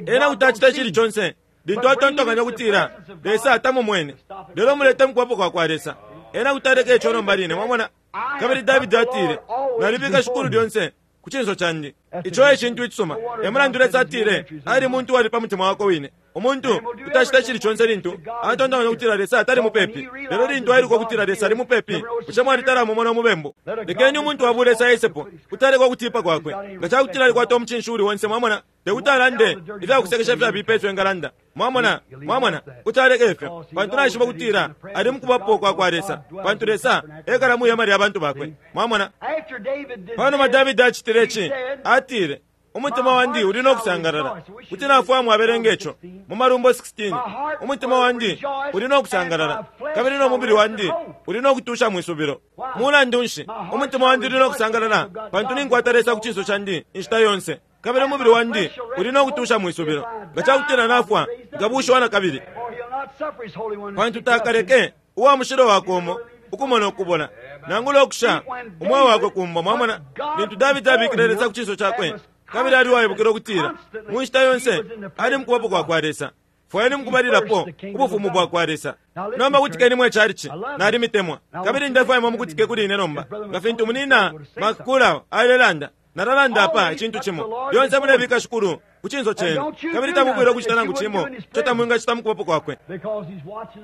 Ena kuti acita icili conse lintu atontonkanya kutila Lesa atamumwene. Lelo mulete mukubapo kwa kwa Lesa, ena kuti aleka ico nomba line. Mwamona? Kabili Davidi atile, nalibika Shikulu lyonse ku cinso candi. Ico e cintu icisuma. E mulandu Lesa atile ali muntu uwali pa mutima wakwe wine. Umuntu utacita icili conse lintu atontonkanya kutila Lesa atali mupepi. Lelo lintu ailuka ukutila Lesa ali mupepi, bushe mwalitala mumona umubembu? Lekeni umuntu wa bulesa ayesepo kuti aleka ukutipa kwakwe. Nga cakutila alikwata umucinshi uli onse, mwamona, tekuti alande ifyakusekesha ifyabipa ifyo engalanda. Mwamona, mwamona, kuti aleka ifyo, pantu naishiba kutila ali mukubapo kwa kwa Lesa, pantu Lesa ekala mwi hema lya bantu bakwe. Mwamona? Panuma Davidi acitile ici, atile, umutima wandi uli no kusangalala. Kuti nafwamwe abelenga ico mu Malumbo sixteen. Umutima wandi uli no kusangalala, kabili no mubili wandi uli no kutusha mwisubilo. Mulandu nshi umutima wandi uli no kusangalala? Pantu ninkwata Lesa ku cinso candi inshita yonse, kabili umubili wandi uli no kutusha mwisubilo. Nga cakutila nafwa, nkabushiwa na kabili, pantu takaleke uwa mushilo wakwe umo ukumona ukubola nangula ukusha umweo wakwe kumbo. Mwamona? Lintu Davidi abikile Lesa ku cinso cakwe, kabili ali uwaibukila ukutila mu nshita yonse ali mukubapo kwa kwa Lesa. Fwayeni mukubalilapo ubufumu bwa kwa Lesa. Nomba kutikeni mwe chalichi, nalimitemwa, kabili ndefwaya mukutike kuli ine nomba. Nga fintu munina Makula alelanda, nalalanda apa icintu cimo. Lyonse mulebika Shikulu ku cinso cenu, kabili tamufwile ukucita nangu cimo ico tamwingacita mukubapo kwakwe,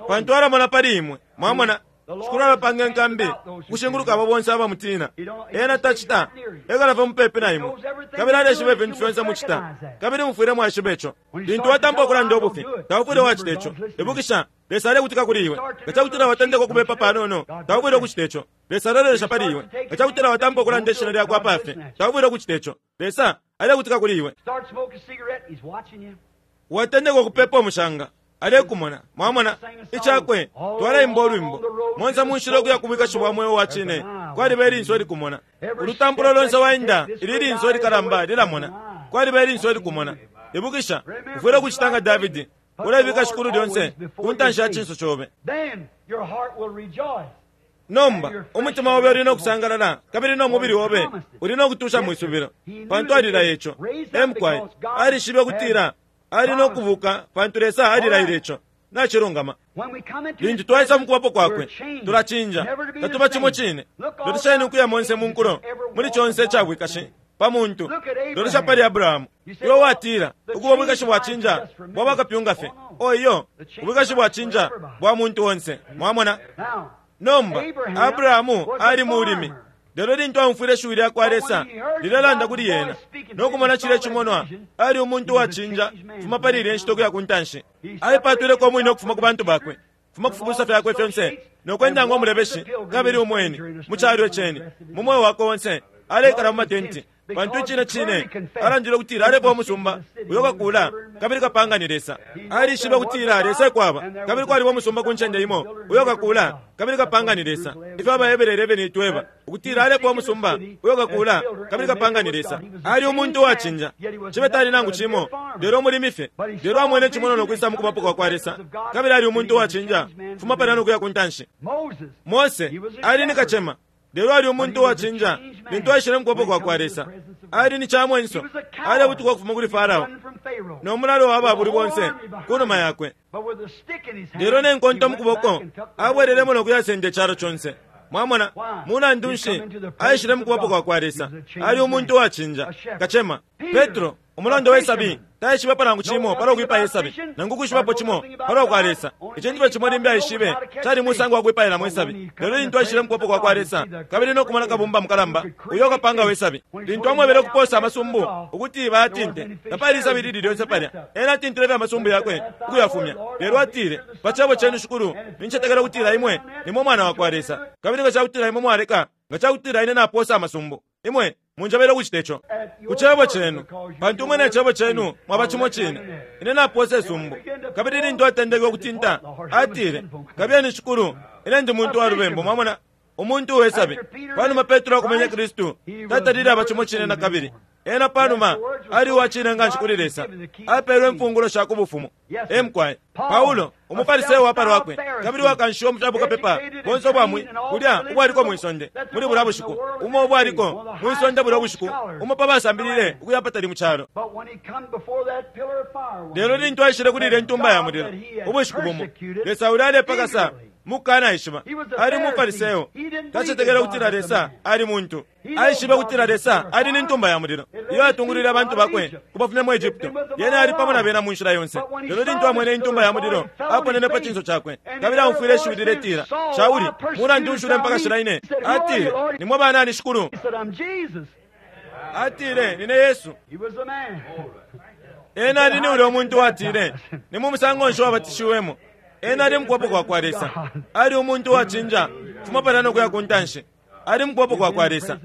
pantu alamona pali imwe. Mwamona? Shikulu alapanga enkambi ukushinguluka abo bonse abamutina. Ena tacita, ekalafa mupepi na imwe, kabili aleshiba ifintu fyonse mucita, kabili mufwile mwaishiba ico. Lintu watampa ukulanda ubufi, taufwile wacita ico. Ibukisha, Lesa alekutika kuli iwe. Nga cakutila watendeka ukubepa panono, taufwile ukucita ico. Lesa alelolesha pali iwe. Nga cakutila watampa ukulanda ishina lyakwe apafe, taufwile ukucita ico. Lesa alekutika kuli iwe. Watendeka ukupepa umushanga, alekumona. Mwamona? Icakwe twalaimba olwimbo monse munshila okuya kubwikashi bwa mweo wa cine, kwaliba ilinso likumona. Ulutampulo lonse waenda, ili linso likalamba lilamona. Kwaliba ilinso likumona. Ibukisha, ufwile ukucita nga Davidi, ulebika Shikulu lyonse ku ntanshi ya cinso cobe. Nomba umutima obe uli no kusangalala, kabili no mubili obe uli no kutusha mwisubilo, pantu alilaya ico. Emkwai alishibe ukutila ali no kubuka, pantu Lesa alilaile ico. Nacilungama. Lintu twaisa mukubapo kwakwe, tulacinja, tatuba cimo cine. Lolesheni ukuya monse mu nkulo, muli conse icabwikashi pa muntu. Lolesha pali Abrahamu. Iwe watila ukuba ubwikashi bwacinja bwa bakapyunga fye. Oyo ubwikashi bwacinja bwa muntu onse. Mwamona? Nomba Abrahamu ali mulimi. Lelo lintu aumfwile ishiwi lya kwa Lesa lilelanda kuli yena nokumona cile cimonwa, ali umuntu wacinja fuma pali ilya nshita ukuya ku ntanshi. Aipatwileko umwine ukufuma ku bantu bakwe, fuma kufubusa fyakwe fyonse, nokwenda ngo mulebeshi kabili umweni mu calo iceni. Mu mweo wakwe onse alekala mu matenti, pantu icine cine alandile ukutila alepa umusumba uyo kakula kabili kapanga ni Lesa. Alishibe ukutila Lesa ekwaba, kabili kwaliba umusumba ku ncende imo uyo kakula kabili kapanga ni Lesa. Ifyo Abahebere eleven itweba ukutila alepa umusumba uyo kakula kabili kapanga ni Lesa. Ali umuntu uwacinja, cibe tali nangu cimo, lelo umulimi fye. Lelo amwene cimono nokwisa mukubapo kwa kwa Lesa, kabili ali umuntu uwacinja fuma palya nokuya ku ntanshi. Mose ali ni kacema, lelo ali umuntu uwacinja lintu aishile mukubapo kwa kwa Lesa. Ali ni chamwenso, alebutuka ukufuma kuli Farao no mulalo wa babuli bonse kunuma yakwe. Lelo nenkonto mukuboko abwelelemo nokuyasenda icalo conse. Mwamona? Mulandu nshi aishile mukubapo kwa kwa Lesa? Ali umuntu uwacinja, kacema. Petro Umulondo we sabi taishibepo nangu cimo palwa kwipaya isabi, nangu kwishibapo cimo palwa kwa Lesa. Icintu fye cimo limbi aishibe cali musango wa kwipailamo isabi. Lelo lintu aishile mu kuboko kwa kwa Lesa kabili no kumona kabumba mukalamba uyo kapanga we sabi, lintu amwebele ukuposa amasumbu ukuti bayatinte, tapali isabi lili lyonse palya. Ena atintile fye amasumbu yakwe ukuyafumya. Lelo atile, pa cebo cenu Shikulu, nincetekela ukutila imwe nimwe mwana wa kwa Lesa, kabili nga cakutila imwe mwaleka, nga cakutila ine naposa amasumbu, imwe munjabele ukucita ico ku cebo cenu, pantu imwe ne cebo cenu mwaba cimo cine. Ine naposa isumbu. Kabili lintu atendeke ukutinta, atile, kabiyeni Shikulu, ine ndi muntu wa lubembu. Mwamona, umuntu uwesabi. Panuma Petro akumenya Kristu, tatalile aba cimo cine na kabili. Ena panuma ali uwacine nganshi kuli Lesa, apeelwe imfungulo sha ku bufumu. Emukwaye Paulo, umufariseyo wa palwakwe kabili wakanshiwa mu fyabukapepa bonse ubwamwi kulya ubwaliko mwisonde muli bulya bushiku, umo ubwaliko mwisonde bulya bushiku, umo pa basambilile ukuya patali mu calo. Lelo lintu aishile kuli ile ntumba ya mulilo ubushiku bumo, Lesa uli alepakasa mukanaishiba. Ali mufariseyo, tacetekela ukutila Lesa ali muntu. Aishibe kutila Lesa ali ni ntumba ya mulilo iyo atungulwile abantu bakwe kubafumya mu Egypto. Yena ali pamo na bena mu nshila yonse. Lelo lintu amwene intumba ya mulilo, aponene pa cinso cakwe kabili aumfwile ishiwi liletila, Shauli, mulandu nshule mpaka shila ine? Atile, nimwe banani Shikulu? Atile, nine Yesu. Ena ali ni ulya umuntu watile, ni mu musango nshi wabatishiwemo? Ena ali mu kuboko kwa kwa Lesa. Ali umuntu wacinja fuma palya no kuya ku ntanshi. Ali mu kuboko kwa kwa Lesa.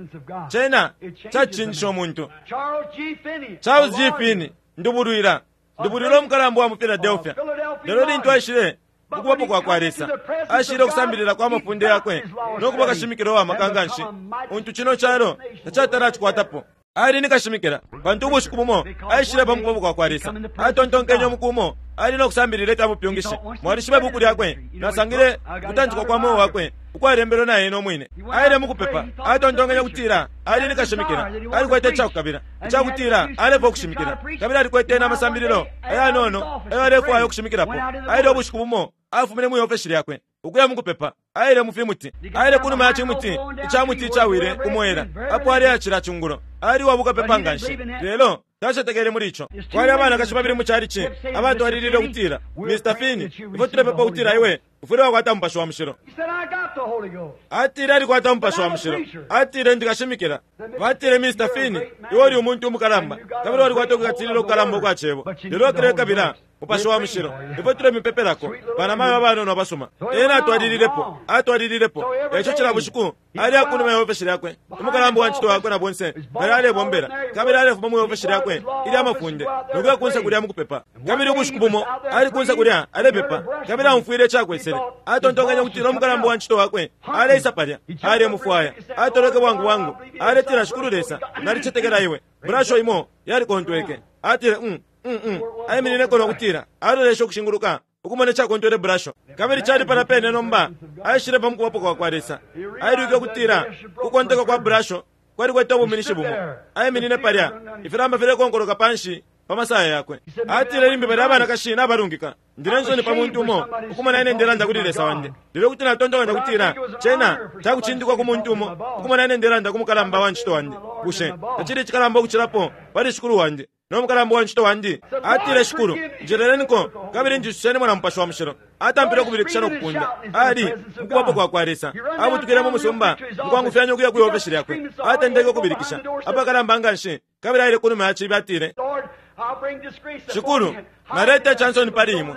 Cena cacinjisha umuntu. Charles G. Finney, ndubulwila ndubulwila umukalamba wa mu Philadelphia. Lelo lintu aishile mu kuboko kwa kwa Lesa, aishile ukusambilila kwa mafunde yakwe no kuba kashimikila wa maka nganshi untu cino calo tacatala acikwatapo. Ali ni kashimikila, pantu ubushiku bumo aishile pa mukuboko kwa kwa Lesa. Atontonkenye umuku umo ali no kusambilila ifya bupyungishi. Mwalishiba ibuku lyakwe, nasangile ukutantikwa kwa mweo wakwe ukwalembelwe na ena umwine. Aile mukupepa, atontonkenye kutila ali ni kashimikila, alikwete icakukabila icakutila alefwa ukushimikila, kabili alikwete n'amasambililo ayanono ayo alefwaya ukushimikilapo. Aile ubushiku bumo afumine mwi ofeshi lyakwe ukuya mukupepa. Aile mu fimuti, aile kunuma ya cimuti icamuti icawile kumwela apo ali acila cungulo. Ali wabukapepa nganshi, lelo tacetekele muli ico. Kwali abanakashi babili mu calici abatwalilile ukutila, Mister Finney, ifwe tulepepa ukutila iwe ufwile wakwata Mupashi wa Mushilo. Atile alikwata Mupashi wa Mushilo. Atile ndikashimikila. Batile, Mister Finney, iwe uli umuntu umukalamba kabili walikwata ukukatilila ukukalamba ukwa cebo, lelo wakilekabila Mupashi wa Mushilo. Ifwe tulemipepelako. Banamayo abanono abasuma. Ena atwalililepo, atwalililepo. Eco cila bushiku ali akunuma ya ofeshi lyakwe, umukalamba wa ncito wakwe na bonse bali alebombela, kabili alefuma mu ofeshi lyakwe ilya mafunde nokuya kunse kulya mukupepa. Kabili ubushiku bumo ali kunse kulya alepepa, kabili aumfwile icakwesele. Atontonkanya kutila umukalamba wa ncito wakwe aleisa palya, alemufwaya. Atoleke bwangu bwangu, aletila, Shikulu Lesa, nalicetekela iwe. Burasho imo yalikontweke. Atile, mm mm mm. Aiminineko nokutila alolesha ukushinguluka ukumona icakontwele burasho, kabili cali pala pene. Nomba aishile pa mukubapo kwa kwa Lesa. Ailwike ukutila kukonteka kwa burasho kwalikwete ubuminishi bumo. Aiminine palya, ifilamba filekonkoloka panshi pa masaya yakwe. Atile, limbi bali abanakashi nabalungika, ndile nsoni pa muntu umo ukumona ine ndelanda kuli Lesa wandi. Lelo kuti natontonkanya kutila cena cakucindikwa ku muntu umo ukumona ine ndelanda ku mukalamba wa ncito wandi. Bushe tacili icikalamba ukucilapo pali Shikulu wandi no mukalamba wa ncito wandi? Atile, Shikulu, njeleleniko kabili njisusenimo na Mupashi wa Mushilo. Atampile ukubilikisha no kupunda. Ali mukubapo kwa kwa Lesa. Abutukile mu musumba mukwangufyanya ukuya kwi ofeshi lyakwe. Atendeke ukubilikisha apakalamba nganshi, kabili aile kunuma ya cibi. Atile, Shikulu, naleta icansoni pali imwe,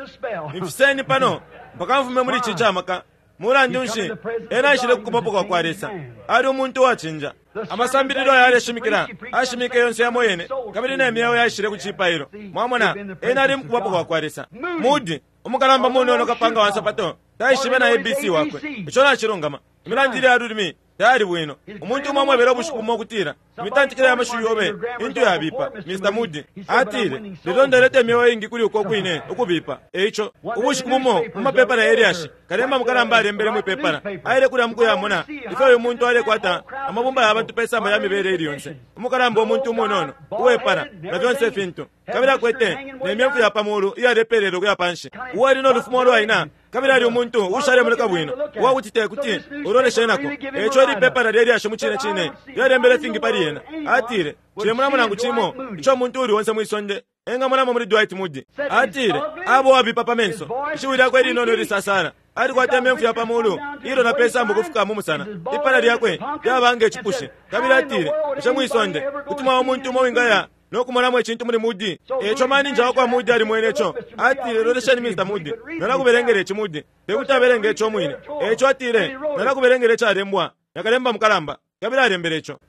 mfiseni pano mpaka mfume muli ici camaka. Mulandu nshi ena aishile kukubapo kwa kwa Lesa? Ali umuntu uwacinja. Amasambililo ayaleshimikila ashimike yonse yamo yene, kabili ne myeo yaishile ku cipailo. Mwamona, ena ali mukubapo kwa kwa Lesa. Mudi umukalamba munono kapanga wa nsapato taishibe na A B C wakwe. Ico nacilungama. Imilandile ya lulimi tayali bwino. Umuntu umo amwebele ubushiku bumo ukutila, imitantikile ya mashiwi yobe intu yabipa, Mister Moody. Atile, lelo ndeleta imyeo ingi kuli uko kwine ukubipa. Eico ubushiku bumo mu mapepala ya Eliashi, kalemba mukalamba alembele mwipepala, aile kulya mukuyamona ifyo uyu muntu alekwata amabumba ya bantu pe samba ya mibele ili yonse. Umukalamba umuntu umunono uwepala na fyonse ifintu, kabili akwete ne myemfu ya pamulu iyalepelele ukuya panshi, uwali no lufumo lwaina Kabili ali umuntu ushalemoneka bwino uwakuti te kuti uloleshe nako. Eco ili pepala lyelyashi mu cine cine lyalembele fingi pali ena. Atile, Cilemonamo nangu cimo ico umuntu uli onse mwisonde engamonamo muli Dwight Moody. Atile, abo wabipa pa menso, ishiwi lyakwe linono ilisasala, alikwata imemfu ya pamulu ilo na pesambo kufika mu musana, ipala lyakwe lyaba nge cipushi. Kabili atile, bushe mwisonde kuti mwaba umuntu umo wingaya nokumonamo icintu muli Moody? Eco maninja wakwa Moody alimwene ico. Atile, lolesheni Mister Moody, nalakubelengela ici Moody. Tekuti abelenge ico mwine. Eco atile, nalakubelengela icalembwa nakalemba mukalamba. Kabili alembele ico.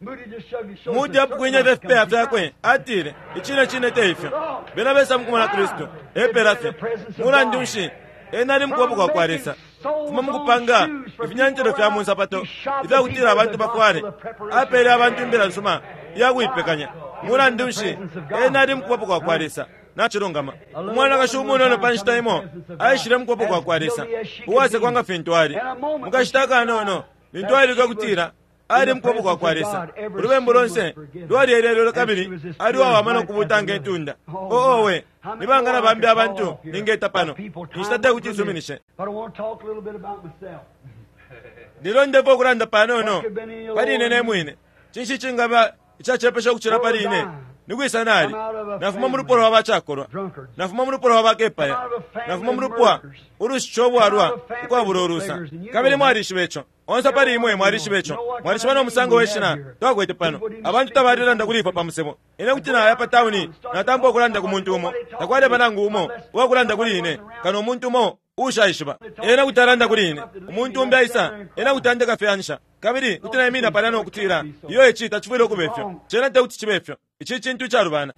Moody apukwinye ifya fyakwe. Atile, icine cine te ifyo. Bena besa mukumona Kristu. Epela fye. Mulandu nshi? Ena ali mukubapo kwa kwa Lesa. Fuma mukupanga ifinyantilo fya munsapato ifyakutila abantu bafwale. Apele abantu imbila nsuma iyakuipekanya. Mulandu nshi? Ena ali mukubapo kwa kwa Lesa. Nachilungama. Umwanakashi umunono pa nshita imo aishile mukubapo kwa kwa Lesa, uwasekwa nga fintu ali. Mukashita kanono lintu ailika kutila ali mukubapo kwa kwa Lesa, ulubembu lonse lwalielelelwe kabili ali wawama nokubuta nge ntunda. Oowe, nibanga na bambi abantu ningeta pano inshita tekuti isuminishe. Lelo ndepo okulanda panono pali ine nemwine. Cinshi cingaba icacepesha ukucila pali ine? Nikwisa nali nafuma mu lupwa lwa bacakolwa, nafuma mu lupwa lwa bakepaya, nafuma mu lupwa ulushica obwalwa ukwabula ulusa. Kabili mwalishiba ico. Onse pali imwe mwalishiba ico. Mwalishiba no musango weshina twakwete pano. Abantu tabalilanda kuli ifwe pa musebo. Ine kuti naya pa tauni natampa okulanda ku muntu umo. Takwaleba nangu umo uwakulanda kuli ine kano umuntu umo ushaishiba. Ena kuti alanda kuli ine. Umuntu umbi aisa, ena kuti andeka fyansha. Kabili kuti naimina palya nokutila, iyo ici tacifwile ukuba ifyo. Cena tekuti cibe ifyo. Ici cintu icalubana.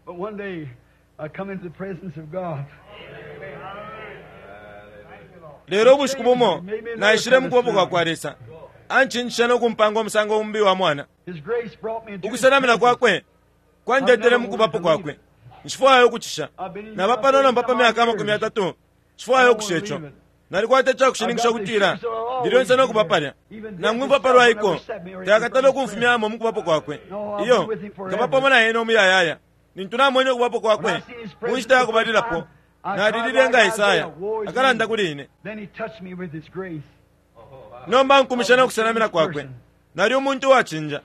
Lelo ubushiku bumo naishile mukubapo kwa kwa Lesa. Ancincisha nokumpanga umusango umbi wa mwana. Ukusenamina kwakwe kwandetele mukubapo kwakwe. Nshifwayo ukucisha. Naba pano nomba pa myaka amakumi atatu. Nshifwayo ukusha ico. Nalikwata icakushininkisha ukutila ndilyonse nokuba palya. Nangumva palwaiko takatala ukumfumyamo mukubapo kwakwe. Iyo nkaba pamo na ena umuyayaya. Nintu namwene ukubapo kwakwe mu nshita yakubalilapo, nalilile nga Isaya akalanda kuli ine. Nomba nkumisha nokusenamina kwakwe. Nali umuntu uwacinja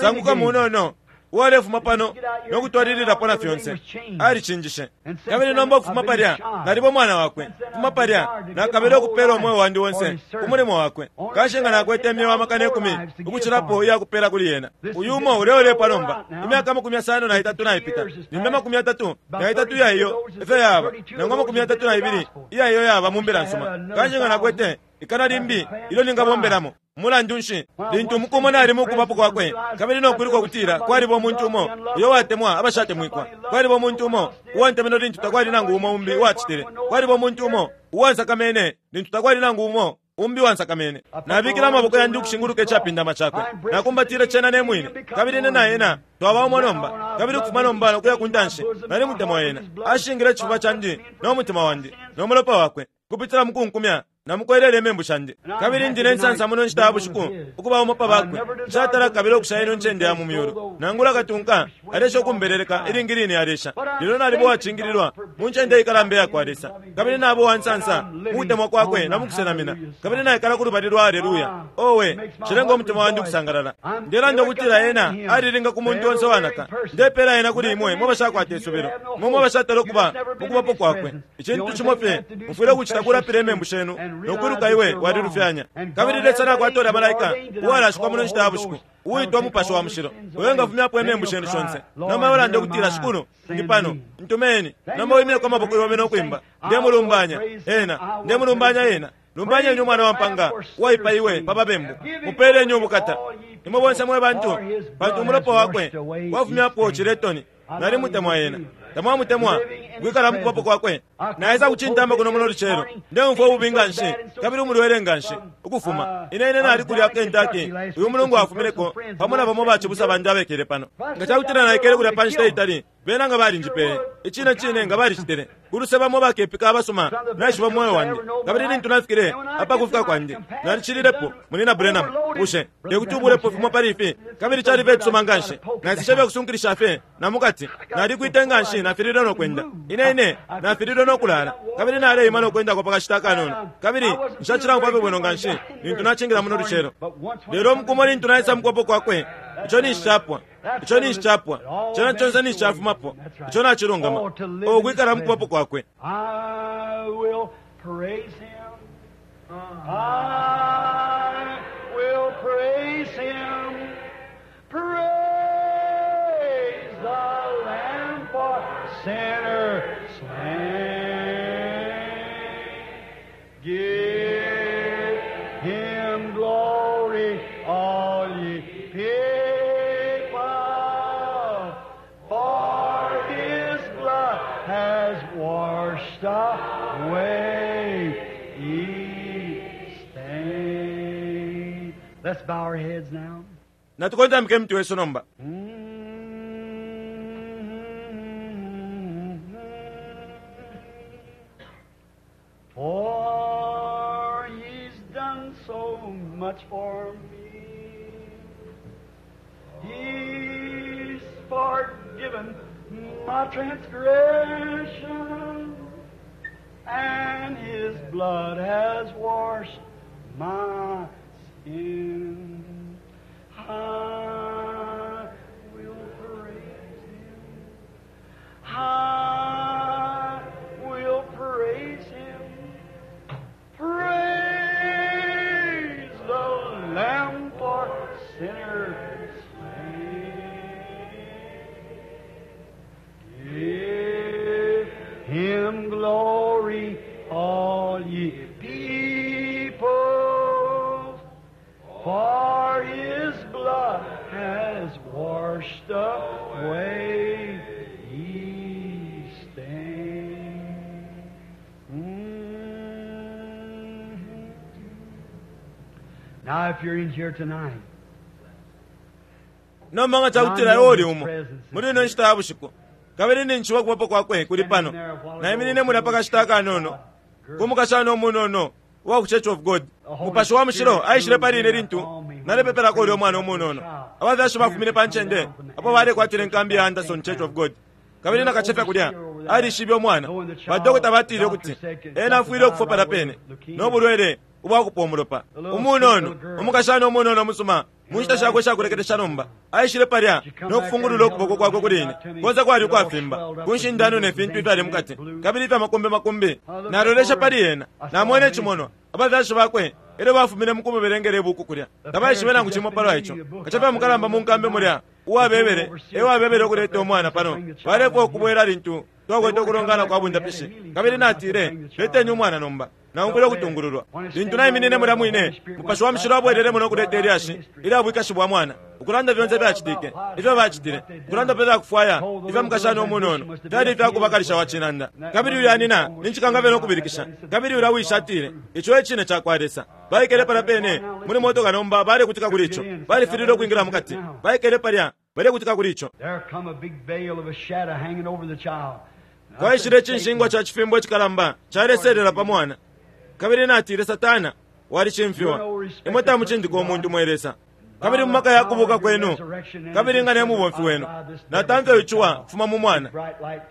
sanguka munono uwalefuma pano nokutwalililapo na fyonse. Alicinjishe. Kabili nomba ukufuma palya naliba umwana wakwe. Kufuma palya nakabile ukupela umweo wandi wonse ku mulimo wakwe. Kanshi nga nakwete imyeo amakana ikumi ukucilapo iyakupela kuli yena. Uyu umo uleolepwa nomba imyaka amakumi yasano na itatu naipita. Nimbe amakumi yatatu na itatu iya iyo efyo yaba, nangu amakumi yatatu na ibili iya iyo yaba mu mbila nsuma. Kanshi nga nakwete ikana limbi ilo ningabombelamo. Mulandu nshi? Lintu umukumo nali mukubapo kwakwe, kabili nokwiluka kutila kwaliba umuntu umo uyo watemwa abashatemwikwa. Kwaliba umuntu umo uwantemenwe lintu takwali nangu umo umbi uwacitile. Kwaliba umuntu umo uwansakamene lintu takwali nangu umo umbi wansakamene. Nabikile amaboko yandi ukushinguluka icapindama cakwe. Nakumbatile cena nemwine, kabili ine na ena twaba umo nomba. Kabili ukufuma nomba nokuya ku ntanshi nali mutemwa ena. Ashingile icifuba candi no mutima wandi no mulopa wakwe kupitila mukunkumya namukwelele imembu shandi. Kabili ndine nsansa muno nshita ya bushiku ukuba umo pa bakwe. Nshatala kabili okusha ino ncende ya mu myulu. Nangula katunka alesha ukumbeleleka ilingi line alesha. Lelo nalibo wacingililwa mu ncende ikalamba iya kwa Lesa. Kabili nabo wansansa mu kutemwa kwakwe na mu kusenamina. Kabili naikala ku lubali lwa Haleluya. Owe, cilenga umutima wandi ukusangalala. Ndelanda ukutila ena alilinga ku muntu onse wanaka. Ndepela ena kuli imwe mwe bashakwata isubilo, mwe mwe bashatala ukuba mu kubapo kwakwe. Icintu cimo fye mufwile ukucita kulapila imembu shenu nokwiluka iwe walilufyanya. Kabili Lesa nakwatolya malaika uwalashikwa muno nshita ya bushiku uwitwa Mupashi wa Mushilo, uyo ngafumyapo imembu shenu shonse. Nomba ulande ukutila, Shikulu, ndi pano, ntumeni. Nomba wimineko amaboko yobe nokwimba, ndemulumbanya ena, ndemulumbanya ena. Lumbanyeni umwana wa mpanga uwaipaiwe pa babembu. Mupeleni ubukata imwe bonse mwe bantu, pantu umulopa wakwe wafumyapo ciletoni. Nali mutemwa ena. Tamwamutemwa kwikala mukubapo kwakwe. Naisa kucintamba kuno muno lucelo. Ndeumfwa ububi nga nshi kabili umulwele nga nshi ukufuma. Ine ine nali kulya Kentucky uyu mulungu afumineko pamo na bamo bacibusa bandi abekele pano. Nga cakutila naikele kulya pa nshita itali Bena nga balinjipeye. Icine cine nga balicitile. Kuluse bamo bakepika abasuma naishiba moyo wandi. Kabili lintu nafikile apakufika kwandi, nalicililepo munina Branham. Bushe tekuti ubulepo fimo pali ifi? Kabili cali fye cisuma nganshi. Nasisha kusunkilisha fye na mukati. Nalikwite nganshi nafililwe no kwenda. Ine ine nafililwe no kulala. Kabili naleima no kwenda kwa kashita kanono. Kabili nshachila mpape bwino nganshi lintu nachingira muno lucelo. Lelo mkumo lintu naisa mukwapo kwakwe. Icho ni shapwa. Icho ni shapwa. Chona chonse ni shafumapo. Icho nachilungama. Okwikala mukwapo kwakwe. I will praise him. I will praise him. Praise the Lamb for sinners slain. Give him glory, all ye people, for his blood has washed away each stain. Let's bow our heads now. Natukontamike mtu wesu nomba. For he's done so much for me. He's forgiven my transgression, and his blood has washed my sin. I will praise him. I will praise him. Praise the Lamb for sinners slain. Give him glory, all ye people, for his blood has washed away each stain. Mhm. Now, if you're in here tonight, Nomba nga chakutila iwe umo. Muri ino nshita ya bushiku. Kabili ninchiwa kubapo kwakwe kuli pano. Naiminine mulya pakashita kanono. Kumukashana omunono wa ku Church of God. Mupashi wa mushilo aishile pali ine lintu nalepepelako ulya omwana omunono. Abafyashi bafumine pa ncende apo balekwatila enkambi ya Anderson Church of God. Kabili nakachefya kulya alishibe omwana. Badokota batile ukuti ena afwile ukufwa pala pene n'obulwele ubwakupa omulopa. Umunono omukashana omunono omusuma mu nshita shakwe shakulekelesha nomba aishile palya n'okufungulula okuboko kwakwe kuli ine. Konse kwali ukwafimba ku nshindano ne fintu ifyali mukati kabili ifya makumbi makumbi. Nalolesha pali ena namwene ecimonwa abafyashi bakwe elyo bafumine mukumubelengela ibuku kulya. Tabaishibe nangu cimo palwa ico. Kachafya mukalamba mu nkambi mulya uwabebele ewabebele okuleta omwana pano balefwa okubwela lintu twakwete okulongana kwa bundapishi. Kabili natile leteni umwana nomba naumfwile okutungululwa. Lintu naiminine mulya mwine mupashi wa mushilo abwelelemo n'okuleta elyashi ilya bwikashi bwa mwana ukulanda fyonse fyacitike ifyo bacitile ukulanda pe fyakufwaya ifya mukashana omunono fyali ifyakubakalisha wa cinanda. Kabili uyu anina ninchikanga fye n'okubilikisha. Kabili uyu awisha atile ico ecine cakwa Lesa. Baikele palya pene muli motoka nomba balekutika kuli ico. Balifililwe okwingila mukati. Baikele palya balekutika kuli ico. there come a big veil of a shadow hanging over the child. Kwaishile echinshingwa cha chifimbo echikalamba chaleselela pa mwana. Kabili natile Satana walicimfiwa. Imwe tamuchindika omuntu mwe Lesa. Kabili mu maka yakubuka kwenu kabili nga ne mubomfi wenu natamfya ichiwa kufuma mu mwana.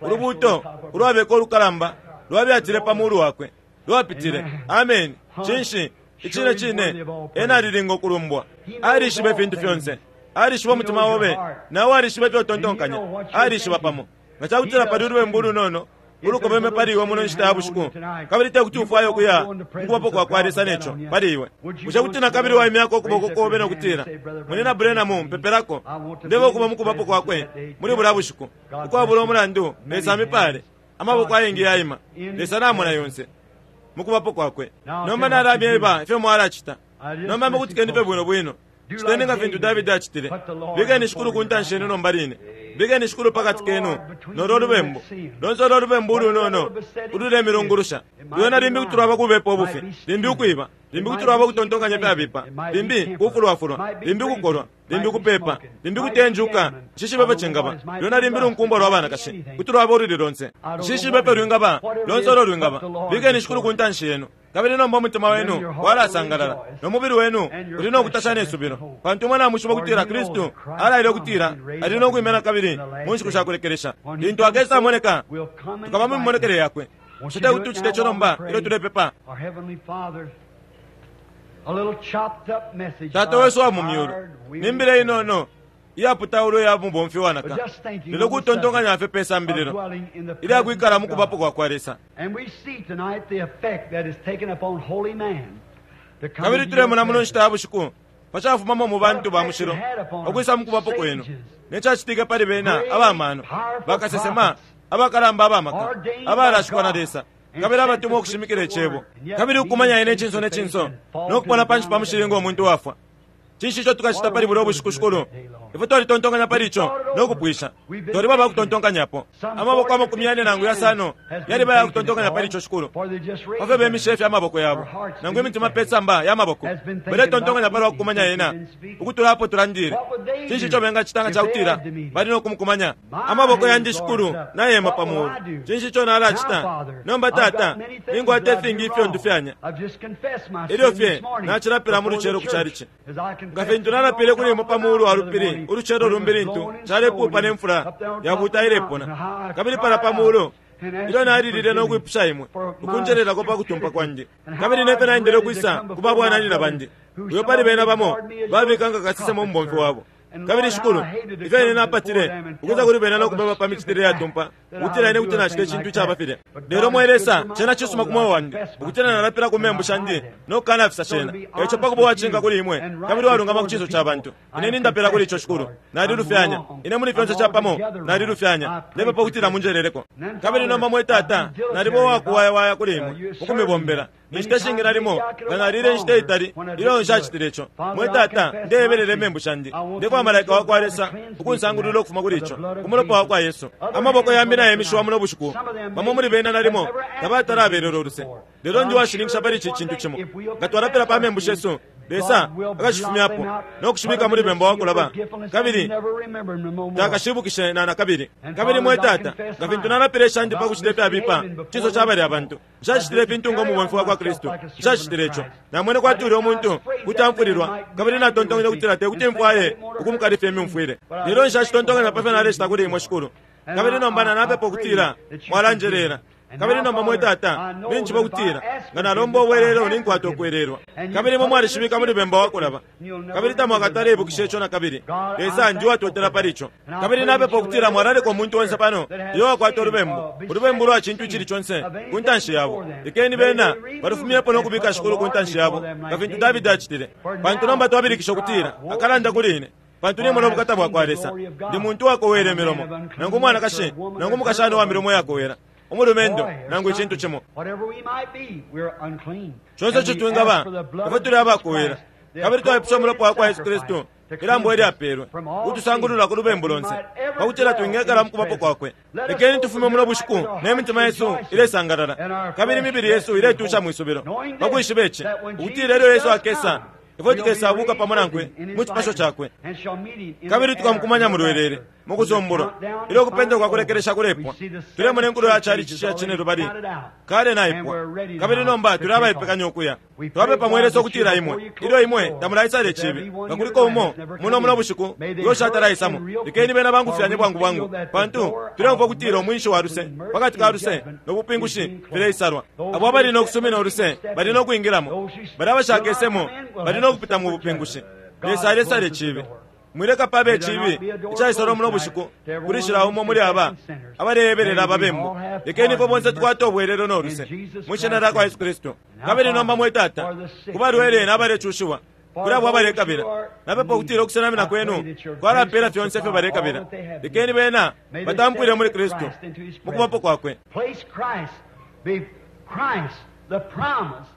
Ulubuto ulwabeka olukalamba lwabyatile pa mulu wakwe lwapitile. Amen. Cinshi icine cine ena alilinga okulumbwa. Alishiba ifintu fyonse. Alishiba umutima obe nawe alishiba ifyo utontonkanya. Alishiba pamo nga chakutila pali ulubembu ulunono ulukobeme pali iwe muno nshita ya bushiku kabili tekuti ufwaye okuya mukubapo kwakwa Lesa neco pali iwe. Bushe kuti nakabili waimyako okuboko kobe nokutila munina Branham mpepelako ndebe okuba mukubapo kwakwe muli bulya bushiku ukwabula omulandu. Lesa amipale amaboko ayengi yaima. Lesa namona yonse mukubapo kwakwe. Nomba nalamyeba ifyo mwalacita. Nomba mukutikeni fye bwino bwino. Citeni nga fintu Davidi acitile. Bikeni shikulu ku ntanshi yenu nomba line. Bikeni Shikulu pakati kenu nolo lubembu lonse olo lubembu ulunono ululemilungulusha. Lwena limbi kuti lwaba kubepa ubufi, limbi ukwiba, limbi kuti lwaba kutontonkanya fyabipa, limbi kufulwafulwa, limbi kukolwa, limbi kupepa, limbi kutenjuka. Nshishibe cingaba lwena limbi lunkumbwa lwa banakashi, kuti lwaba ululi lonse. Nshishibe pe lwingaba lonse olo lwingaba. Bikeni Shikulu ku ntanshi yenu, kabili nomba umutima wenu walasangalala nomubili wenu uli nokutasha nesubilo, pantu imwe namwishiba ukutila Kristu alaile ukutila ali nokwimena kabili mu nshiku shakulekelesha. Lintu akesa moneka, tukaba mu mimonekele yakwe. Bushe tekuti tucite ico nomba ilyo tulepepa? Tata wesu wa mu myulu, nimbile inono iyaputaulwa iya mubomfi wanaka, lelo kutontonkanya fye pe sambililo ilyakwikala mu kubapo kwa kwa Lesa. Kabili tulemona muno nshita ya bushiku pacafumamo mu bantu ba mushilo ukwisa mu kubapo kwenu, necacitike pali bena abamano, bakasesema, abakalamba abamaka, abalashikwa na Lesa, kabili abatumwa ukushimikila icebo, kabili ukumanya ine icinso ne cinso nokupona panshi pa mushili ngo muntu wafwa. Cinshi ico tukacita pali bulya ubushiku, Shikulu? Ifwe twalitontonkanya pali ico nokupwisha. Twaliba bakutontonkanyapo amaboko amakumi yane nangu yasano yaliba yakutontonkanya pali ico, Shikulu. Pafyo bemishe fye amaboko yabo nangu imitima pe samba ya maboko, baletontonkanya pali wakukumanya yena ukutula apo tulandile. Cinshi ico bengacita nga cakutila bali nokumukumanya? Amaboko yandi, Shikulu, nayema pa mulu. Cinshi ico nalacita nomba, Tata? Ninkwata ifingi ifyo ndufyanya. Ilyo fye nacilapila mu lucelo ku calici, nga fintu nalapile kuli imwe pa mulu wa lupili ulucelo lumbi lintu calepupa ne mfula yabuta ilepona, kabili pala pa mulu ilyo nalilile nokwipusha imwe ukunjelelako pa kutumpa kwandi, kabili nefe naendele ukwisa ku babwananyina bandi, uyo pali bena bamo babika nga kasesema umubomfi wabo. Kabili Shikulu, ifyo ine napatile ukwisa kuli bena nokubeba pa micitile yatumpa, ukutila ine kuti nacita icintu icaba filya. Lelo mwe Lesa, cena cisuma ku mweo wandi ukutila nalapila ku membu shandi nokukanafisa cena. Eico pakuba uwacinka kuli imwe kabili uwalungama ku cinso ca bantu, ine nindapela kuli ico, Shikulu. Nalilufyanya ine muli fyonse capamo, nalilufyanya. Ndepepa ukutila munjeleleko. Kabili nomba mwe Tata, naliba uwakuwayawaya kuli imwe ukumibombela. Inshita ishingi nalimo nga nalile inshita itali ilyo nshacitile ico. Mwe Tata, ndeyebelele imembu shandi. Ndefwaya malaika wa kwa Lesa ukunsangulula ukufuma kuli ico ku mulopa wa kwa Yesu. Amaboko yambi nayemishiwa muno bushiku. Bamo muli bena nalimo tabatalabelela uluse, lelo ndi washininkisha pali ici cintu cimo: nga twalapila pa membu shesu, Lesa akashifumyapo nokushibika muli bemba wakulaba, kabili takashibukishe na nakabili. Kabili mwe Tata, nga fintu nalapile ishandi pa kucita ifyabipa cinso ca balya bantu, nshacitile ifintu ngo mubomfi wa kwa Kristu. Nshacitile ico. Namwene kwati ulya umuntu kuti amfulilwa, kabili natontonkanya ukutila tekuti mfwaye ukumukalifya imyumfwile. Lelo nshacitontonkanya pa fyo nalecita kuli imwe, Shikulu. Kabili nomba nanapepa ukutila mwalanjelela. Kabili nomba mwe Tata, ninjiba ukutila nga nalomba ubwelelo ninkwata ukwelelwa. Kabili imwe mwalishibika muli bemba wakulaba, kabili tamwakatale ibukisha ico nakabili. Lesa, ndi uwatotela pali ico. Kabili napepa ukutila mwalaleka umuntu onse pano iyo wakwata ulubembu, ulubembu lwa cintu icili conse ku ntanshi yabo. Lekeni bena balufumyepo nokubika Shikulu ku ntanshi yabo, nga fintu Davidi acitile. Pantu nomba twabilikisha ukutila akalanda kuli ine, pantu nimona ubukata bwa kwa Lesa. Ndi muntu wakowela imilomo, nangu umwanakashi nangu umukashana uwa milomo yakowela, umulumendo nangu icintu cimo. Conse ico twingaba, ifwe tuli abakowela, kabili twaipusha umulopa wa kwa Yesu Kristu, ilambo ilyapelwe ukutusangulula ku lubembu lonse, pakutila twingekala mu kubapo kwakwe. Lekeni tufume muno bushiku ne mitima yesu ilesangalala, kabili imibili yesu iletusha mwisubilo, pakwishiba ici ukutila ilyo Yesu akesa, ifwe tukesabuka pamo nankwe mu cipasho cakwe, kabili tukamukumanya mu lwelele mukusombolwa. Ilyo kupenda kwa kulekelesha kulepwa, tulemona inkulo ya calici sha cine lubali kale naipwa, kabili nomba tuli abaipekanya ukuya. Twapepa mwe Lesa ukutila imwe ilyo imwe tamulaisala icibi, nga kuliko umo muno muno bushiku uyo ushatalaisamo, lekeni bena bangufyanye bwangu bwangu, pantu tuleumfwa ukutila umwinshi wa luse pakati ka luse no bupingushi fileisalwa. Abo abali nokusumina uluse bali nokwingilamo, bali abashakesemo bali nokupita mu bupingushi. Lesa alesala icibi. Mwileka pabe icibi icaisalwa muno bushiku kulishila umo muli aba abaleyebelela ababembu. Lekeni ifwe bonse tukwate ubwelelo no luse mwi shina lya kwa Yesu Kristu. Kabili nomba mwe Tata, ku balwele n'abalecushiwa, kuli abo abalekabila, napepa ukutila ukusenamina kwenu kwalapela fyonse ifyo balekabila. Lekeni bena batampwile muli Kristu mu kubapo kwakwe. Place Christ, be Christ, the promise.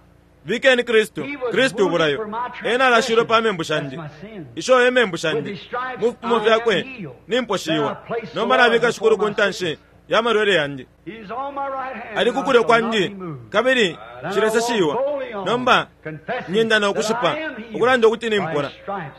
Bikeni Kristu, Kristu ubulayo. Ena alashilwe pa membu shandi, isho e membu shandi. Mu fipimo fyakwe nimposhiwa. Nomba nabika Shikulu ku ntanshi ya malwele yandi. Ali ku kulyo kwandi, kabili nshileseshiwa. Nomba nyenda no kushipa, ukulanda ukuti nimpora.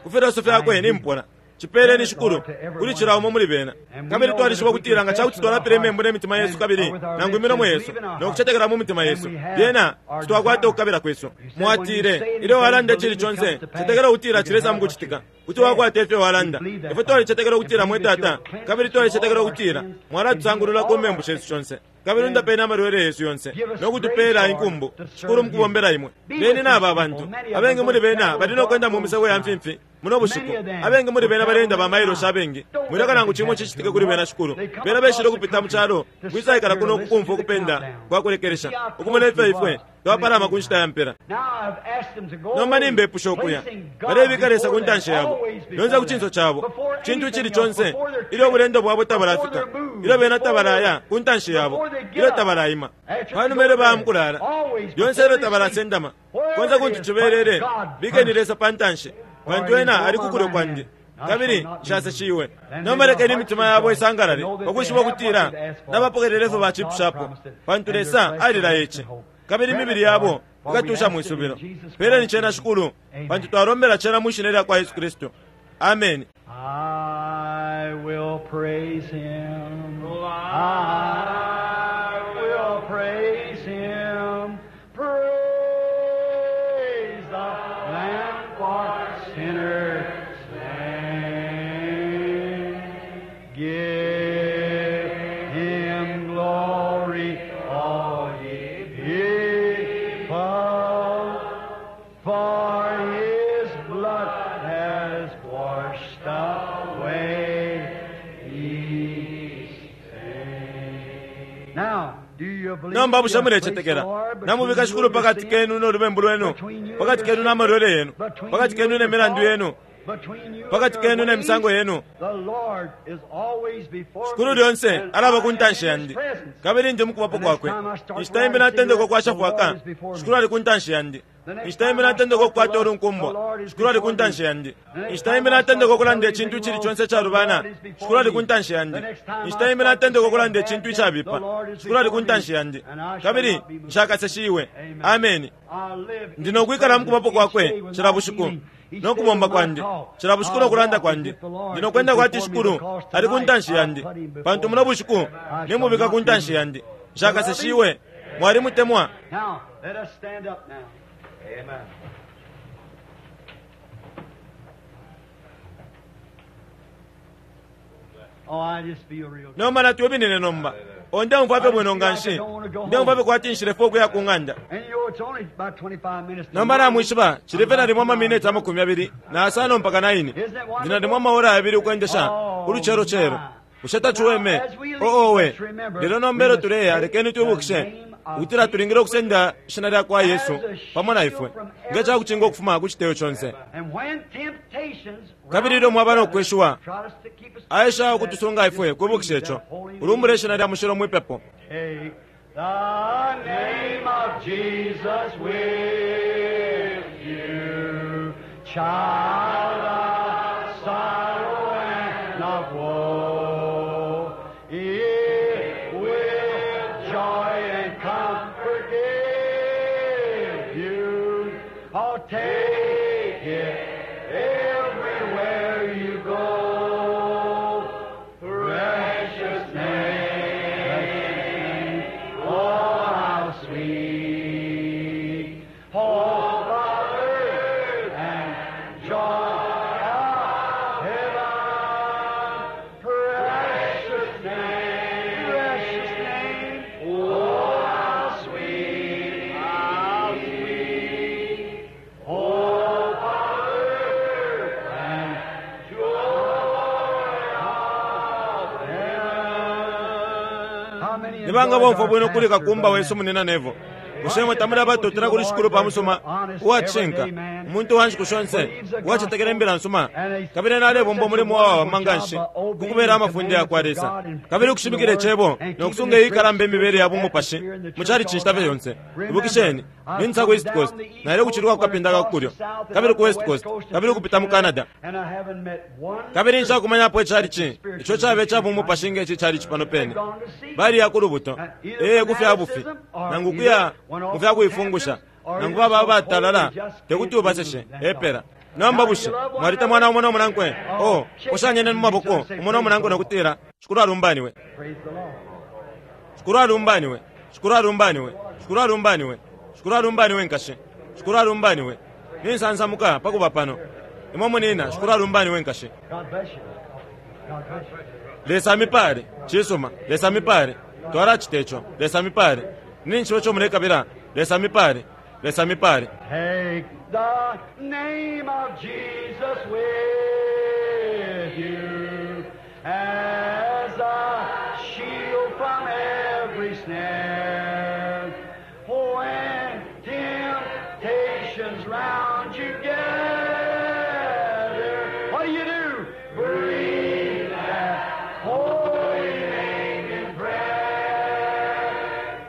Ku filoso fyakwe nimpora. Chipeleni Shikulu kuli cila umo muli bena. Kabili twalishiba ukutila nga cakuti twalapila imembu ne mitima yesu kabili nangu imilomo yesu no kucetekela mu mitima yesu, lyena twakwata ukukabila kwesu. Mwatile ilyo walanda icili conse, cetekela ukutila cilesa mukucitika, kuti wakwata ifyo walanda. Ifwe twalicetekela ukutila mwe Tata, kabili twalicetekela ukutila mwalatusangulula ku membu shesu shonse, kabili undapeni amalwele yesu yonse no kutupela inkumbu, Shikulu, mukubombela imwe. Beni naba abantu abengi muli bena bali no kwenda mu misebo ya mfimfi muno bushiku. Abengi muli bena balenda ba mailo abengi, mwileka nangu chimo chichitike kuli bena, Shikulu. Bena beshile kupita mu chalo kwisaikala kuno kukumva ukupenda kwa kulekelesha, ukumona ifyo ifwe twapalama ku nshita ya mpela. Nomba nimbepusha ukuya balebika Lesa ku ntanshi yabo, lyonse ku cinso cabo, cintu icili conse, ilyo ubulendo bwabo tabalafika, ilyo bena tabalaya ku ntanshi yabo, ilyo tabalaima, panuma ilyo baya mukulala, lyonse ilyo tabalasendama, konse kuntu cibelele, bikeni Lesa pa ntanshi, pantu ena ali ku kulyo kwandi, kabili nshaseshiwe. Nomba lekeni imitima yabo isangalale ukwishiba ukutila nabapokelele ifyo bacipushapo, pantu Lesa alilaya ici, kabili imibili yabo ikatusha mwisubilo. Peleni cena, Shikulu, pantu twalombela cena mwi shina lya kwa Yesu Kristu. Amen. I will praise him. I will praise him. Praise the Lamb for sinners slain. Give him glory, all ye people, for his blood has washed away his sin. Now, do you believe Nomba bushe you have placed mulecetekela the Lord between namubika you Shikulu and your pakati sin, kenu n'olubembu lwenu, between you pakati and kenu your n'amalwele yenu, between pakati you kenu and your n'emilandu yenu, thoughts, between you and pakati your kenu ways? n'emisango yenu. The Lord is always before Shikulu me, lyonse and alaba I ku am ntanshi in his yandi, presence. kabili ndi mukubapo kwakwe. Inshita imbi natendeka ukwasha fwaka, Shikulu ali ku ntanshi yandi. Inshita imbi natendeka ukukwata ulunkumbwa, Shikulu ali ku ntanshi yandi. Inshita imbi natendeka ukulanda icintu icili conse icalubana, Shikulu ali ku ntanshi yandi. Inshita imbi natendeka ukulanda icintu icabipa, Shikulu ali ku ntanshi yandi, kabili nshakaseshiwe. Ameni. I live in Ndi nokwikala mukubapo kwakwe cila bushiku nokubomba kwandi, cila bushiku nokulanda kwandi. Ndi nokwenda kwati Shikulu ali ku ntanshi yandi, pantu muno bushiku nimubika ku ntanshi yandi, nshakaseshiwe. Mwalimutemwa. Now, let us stand up now. Amen. Oh, I just feel real good. Nomba natwibinine nomba. Onde umfwape bwino nga nshi, nde umfwape kwati nshilefe ukuya ku ng'anda. And you know, it's only about twenty-five minutes to Nomba nine. namwishiba chilife nalimwa amamineti amakumi abiri na asano mpaka naini, ndinalimwa amaora abiri ukwendesha uluchero chero. Bushe tachiweme oowe. Lelo nomba ilyo tuleya, lekeni twibukishe ukutila tulingile ukusenda ishina lya kwa Yesu pamo na ifwe nge cakucinga ukufuma ku citeyo conse. And when temptations Kabili ilyo mwaba nokweshiwa, try us to keep us aesha ukutusunga ifwe kwibukisha ico, ulumbule ishina lya mushilo mwipepo. Take the name of Jesus with you, child of sorrow and of woe. It will joy and comfort give you. Oh, take it everywhere you go. Precious name, oh, how sweet. Hope of earth and joy of heaven. Precious name, precious name, oh, how sweet, how sweet. Hope of earth and joy of heaven. How many Nibanga enjoyed bomfwa our bwino kuli pastor, kakumba Brother wesu munina nevo. Bushe imwe tamuli abatotela kuli Shikulu pa musuma uwacishinka, umuntu wa nshiku shonse uwacetekela imbila nsuma, kabili ena alebomba umulimo uwawama nganshi ku kubela amafunde yakwa Lesa, kabili ukushimikila Icebo no kusunga iyi ikalamba imibele ya bumupashi mu chalichi inshita fye yonse. Ibukisheni, ninsa ku East Coast, naile kuciluka ku kapinda ka ku kulyo, kabili ku West Coast, kabili ukupita mu Canada. Kabili nshakumanyapo ichalichi ico cabe ica bumupashi nge ici chalichi pano pene. Baliya ku lubuto, ee, ku fya bufi, nangu kuya mu fya kuifungusha, nangu baba abatalala, tekuti ubaseshe, epela. Nomba bushe mwalitemwana umo no munankwe? Oh, poshanyeni mu maboko umo no munankwe no kutila, Shikulu alumbaniwe. Shikulu alumbaniwe. Shikulu alumbaniwe. Shikulu alumbaniwe. Shikulu alumbaniwe nkashi. Shikulu alumbaniwe. Ninsansamuka pa kuba pano. Imwe munina, Shikulu alumbaniwe nkashi. Lesa mipale, cisuma, Lesa mipale. Twalacita ico, Lesa mipale. Ninshi ico mulekabila, Lesa mipale, Lesa mipale. Take the name of Jesus with you as a shield from every snare. When temptations round you gather, what do you do? Breathe that holy name in prayer.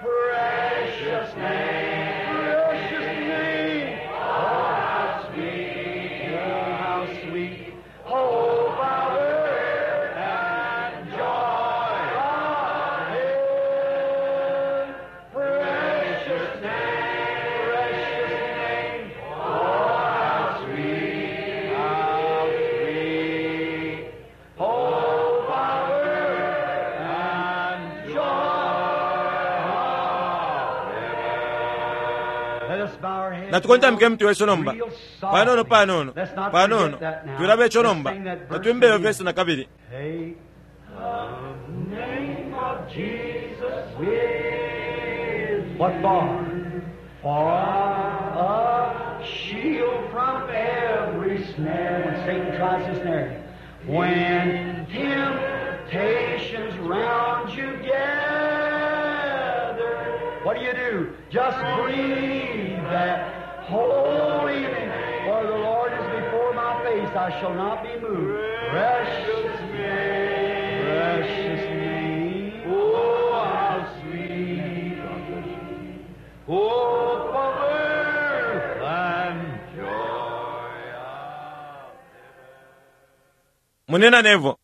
Precious name, precious name. Oh, how sweet, oh, how sweet. Oh, power and joy of heaven. Precious name, precious name. Oh, how sweet, how sweet. Oh, power and joy of heaven. Let us bow our heads. Natukontamike mutwe wesu nomba. Real softly. Panono panono, Let's not panono. forget that now. Twilaba ico Let's nomba. sing that verse Natwimbe iyo again. vesi na kabili. Take the name of Jesus with what for? For a shield from every snare when Satan tries to snare you. When temptations round you gather, what do you do? Just breathe that holy name. For the Lord is before my face, I shall not be moved. Precious name, precious name. Oh, how sweet. Oh, comfort and joy. Munina Nevo.